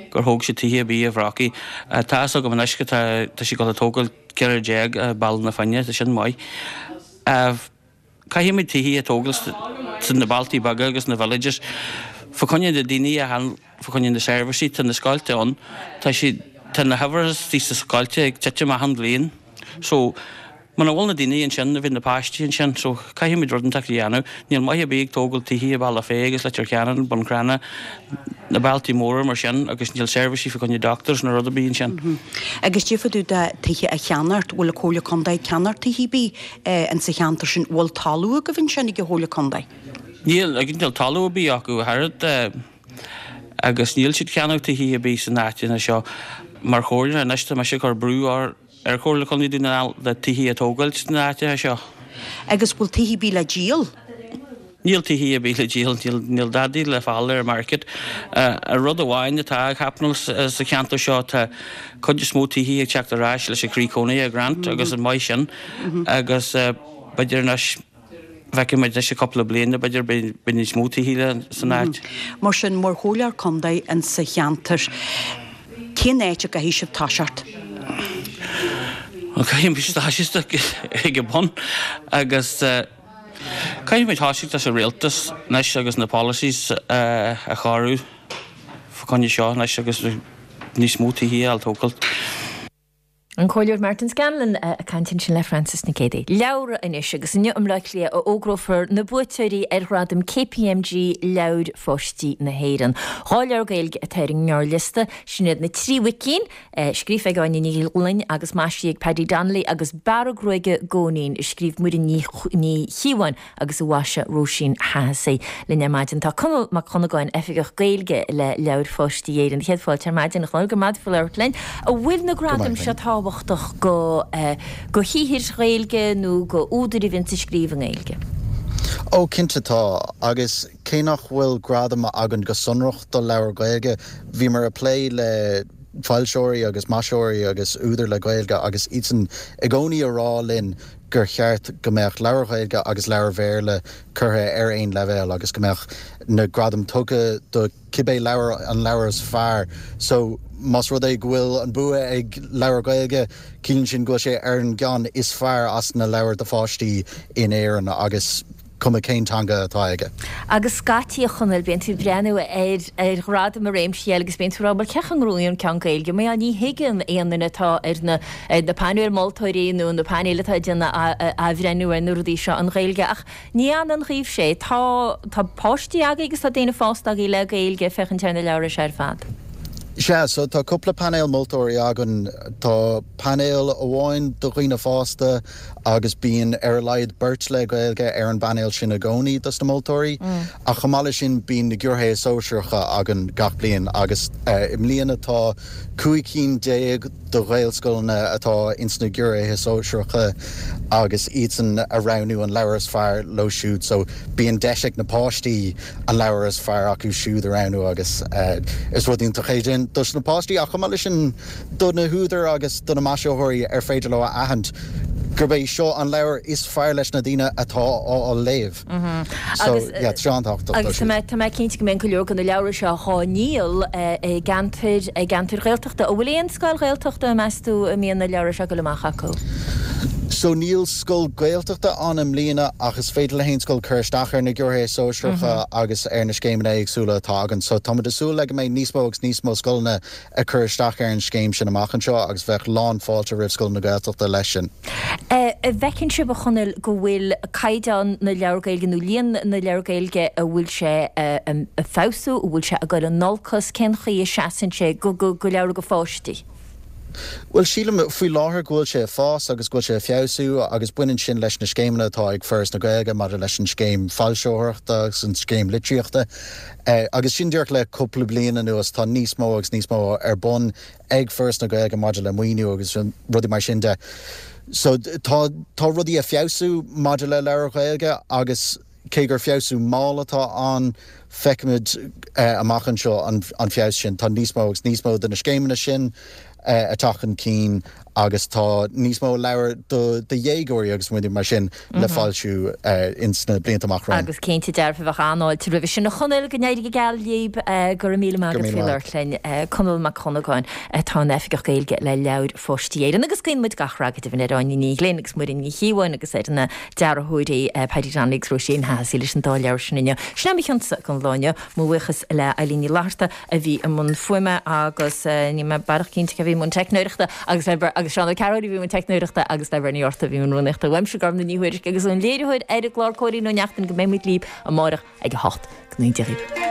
gur thóg siad tithe ar bith i Bhrocaigh. Tá fhios agam anois go tá, tá siad ag dul a tógáil, 14 i Baile na Finne, tá sin maith. Caithfidh muid tithe a tógáil sna bailtí beaga agus na villages. Fá choinne na daoine a fháil, fá choinne na seirbhísí, tá na scoilte ann, tá siad, tá na huimhreacha sna scoilte ag titim achan bhliain. So, muna bhfuil na daoine ansin, ní bheidh na páistí ansin, so caithfidh muid rud inteacht a dhéanamh. Níl maith ar bith ag tógáil tithe i Bealach Féich agus Leitir Ceanainn, Bun Cranncha, na bailtí móra mar sin agus níl seirbhísí fá choinne doctors nó rud ar bith ansin. Agus fá dtaobh de tithe a cheannacht, bhfuil an Comhairle Contae ag ceannacht tithe ar bith insa cheantar sin? Bhfuil talamh agaibh ansin ag an Chomhairle Contae? Níl, níl talamh ar bith acu ach oiread agus níl siad ceannach tithe ar bith san áiteanna seo. Mar chomhairle anois tá mise ag cur brú ar Ar Chomhairle Contae Dhún na nGall le tithe a tógáilt sna áiteacha seo. Agus bhfuil tithe ar bith le díol? Níl tithe ar bith le díol, níl, níl dadaí le fáil ar an market. An rud amháin atá ag happenáil sa cheantar seo, tá cuid is mó tithe ag teacht ar ais leis an Croí Cónaithe grant agus an maith sin agus b'fhéidir anois, Feicfidh muid anois i cúpla bliain b'fhéidir beidh níos mó tithe san áit. Mar sin, mar chomhairleoir contae insa cheantar, cén áit a gcaithfidh sibh toiseacht? Bhuel, caithfidh muid toiseacht ag an bun agus caithfidh muid toiseacht leis an rialtas anois agus na policies a chóiriú fá choinne seo anois agus níos mó tithe a fháil tógáilt. An Comhairleoir Martin Scanlon ag caint ansin le Frances Nic Géadaigh. Leabhra anois agus inniu i mBleá Cliath a fhógrófar na buaiteoirí ar Ghradaim KPMG Leabhair Pháistí na hÉireann. 2 leabhar Gaeilge atá ar an ngearrliosta, sin iad Na Trí Mhuicín, scríofa ag Áine Ní Ghlinn agus maisithe ag Paddy Donnelly agus Bearradh Gruaige Góinín, a scríobh Muireann Ní Chíobháin agus a mhaisigh Róisín Hahessy. Linn ar maidin tá Conall Mac Dhonnagáin, Oifigeach Gaeilge le Leabhair Pháistí Éireann. Céad fáilte ar maidin, a Chonaill, go raibh maith agat labhairt linn. An bhfuil na gradaim seo tábhachtach go go shaothair Ghaeilge nó go údair a bhíonns ag scríobh i nGaeilge? Ó, cinnte tá, agus cé nach bhfuil gradam againn go sonrach do leabhair Ghaeilge, bhíomar ag plé le foilseoirí agus maisitheoirí agus údair le Gaeilge agus iadsan i gcónaí a rá linn gur cheart go mbeadh leabhair Ghaeilge agus leabhair Bhéarla curtha ar aon leibhéal agus go mbeadh na gradaim tugtha do cibé leabhar an leabhar is fearr. So, más rud é go bhfuil an bua ag leabhar Gaeilge, ciallaíonn sin go bhfuil sé ar an gceann is fearr as na leabhair do pháistí in Éirinn agus cuma cén teanga atá aige. Agus scaití, a Chonaill, bíonn tú ag breathnú ar ar ghradaim i réimsí eile agus bíonn tú ag rá, bhuel, cén chaoi a ngnóthaíonn ceann Gaeilge? Mar ní thuigeann aon duine atá ar na ar na painéil moltóirí nó na painéil atá ag déanamh athbhreithniú ar na rudaí seo an Ghaeilge. Ach ní fhanann dhaoibhse é. Tá tá páistí agaibh agus tá daoine fásta agaibh le Gaeilge ag féachaint ar na leabhra seo ar fad. Sea, so tá cúpla painéal moltóirí againn. Tá painéal amháin do dhaoine fásta, agus bíonn ar a laghad beirt le Gaeilge ar an bpainéal sin i gcónaí dos na moltóirí. Ach chomh maith leis sin bíonn na giúiréithe sóisearacha againn gach bliain agus i mbliana tá 15 cinn de Ghaelscoileanna atá ins na giúiréithe sóisearacha agus iadsan a roghnú an leabhar is fearr leo siúd so bíonn deis ag na páistí an leabhar is fearr acu siúd a roghnú agus is rud iontach é sin dos na páistí ach chomh maith leis sin do na húdair agus do na maisitheoirí ar féidir leo a aithint. gurb é seo an leabhar is fearr leis na daoine atá á léamh. So, yeah, tá sé an-tábhachtach dó Agus tá siúd. mé, tá mé cinnte go mbeidh go leor de na leabhra seo dhá ndíol i gceantair, i gceantair Ghaeltachta. An bhfuil aon scoil Ghaeltachta, meas tú, a mbíonn na leabhra seo ag dul amach acu? So níl scoil Gaeltachta ann i mbliana ach is féidir le haon scoil cur isteach ar na Gearrthéarmaí Sóisearacha agus ar na scéimeanna éagsúla atá againn. So táimid ag súil le go mbeidh níos mó agus níos mó scoileanna ag cur isteach ar an scéim sin amach anseo agus bheadh lán fáilte roimh scoileanna Gaeltachta leis sin. An bhfeiceann sibh, a Chonaill, go bhfuil caighdeán na leabhar Gaeilge nó líon na leabhar Gaeilge, an bhfuil sé ag feabhsú, an bhfuil sé ag dul in olcas, cén chaoi a seasann sé go leabhra do pháistí? Bhuel, sílim faoi láthair go bhfuil sé ag fás agus go bhfuil sé ag feabhsú agus baineann sin leis na scéimeanna atá ag Foras na Gaeilge maidir leis an scéim foilsitheoireachta agus an scéim litríochta. Agus sin díreach le cúpla bliain anuas tá níos mó agus níos mó ar bun ag Foras na Gaeilge maidir le maoiniú agus rudaí mar sin de. So tá tá rudaí ag feabhsú maidir le leabhair Ghaeilge agus cé gur feabhsú mall atá ann, feicfimid amach anseo an feabhas sin. Tá níos mó agus níos mó de na scéimeanna sin ag teacht chun cinn agus tá níos mó leabhar do dhéagóirí agus rudaí mar sin le foilsiú ins na blianta amach romhainn. Agus cinnte dearfa bheadh an-fháilte roimhe sin. A Chonaill, go n-éirí go geal libh. Go raibh míle maith agat faoi labhairt linn. Conall Mac Dhonnagáin atá ina Oifigeach Gaeilge le Leabhair Pháistí Éireann. Agus guíonn muid gach rath go deimhin ar Áine Ní Ghlinn agus Muireann Ní Chíobháin agus ar na dearthóirí Paddy Donnelly agus Róisín Hahessy leis an dá leabhar sin inniu. Sin é mo chionsa don lá inniu. Mo bhuíochas le Eilín Ní Fhlatharta a bhí i mbun fuaime agus níl mé baileach cinnte cé a bhí i mbun teicneoireachta agus le agus Seán Ó Cearúil a bhí i mbun teicneoireachta agus le Bernie Orta a bhí i mbun rúnaíochta. Uaimse Gormlaith Ní Thuairisg agus ón léiritheoir ar an gclár Cóilín Ó Neachtain go mbeidh muid libh amárach ag a 8. Go n-éirí libh.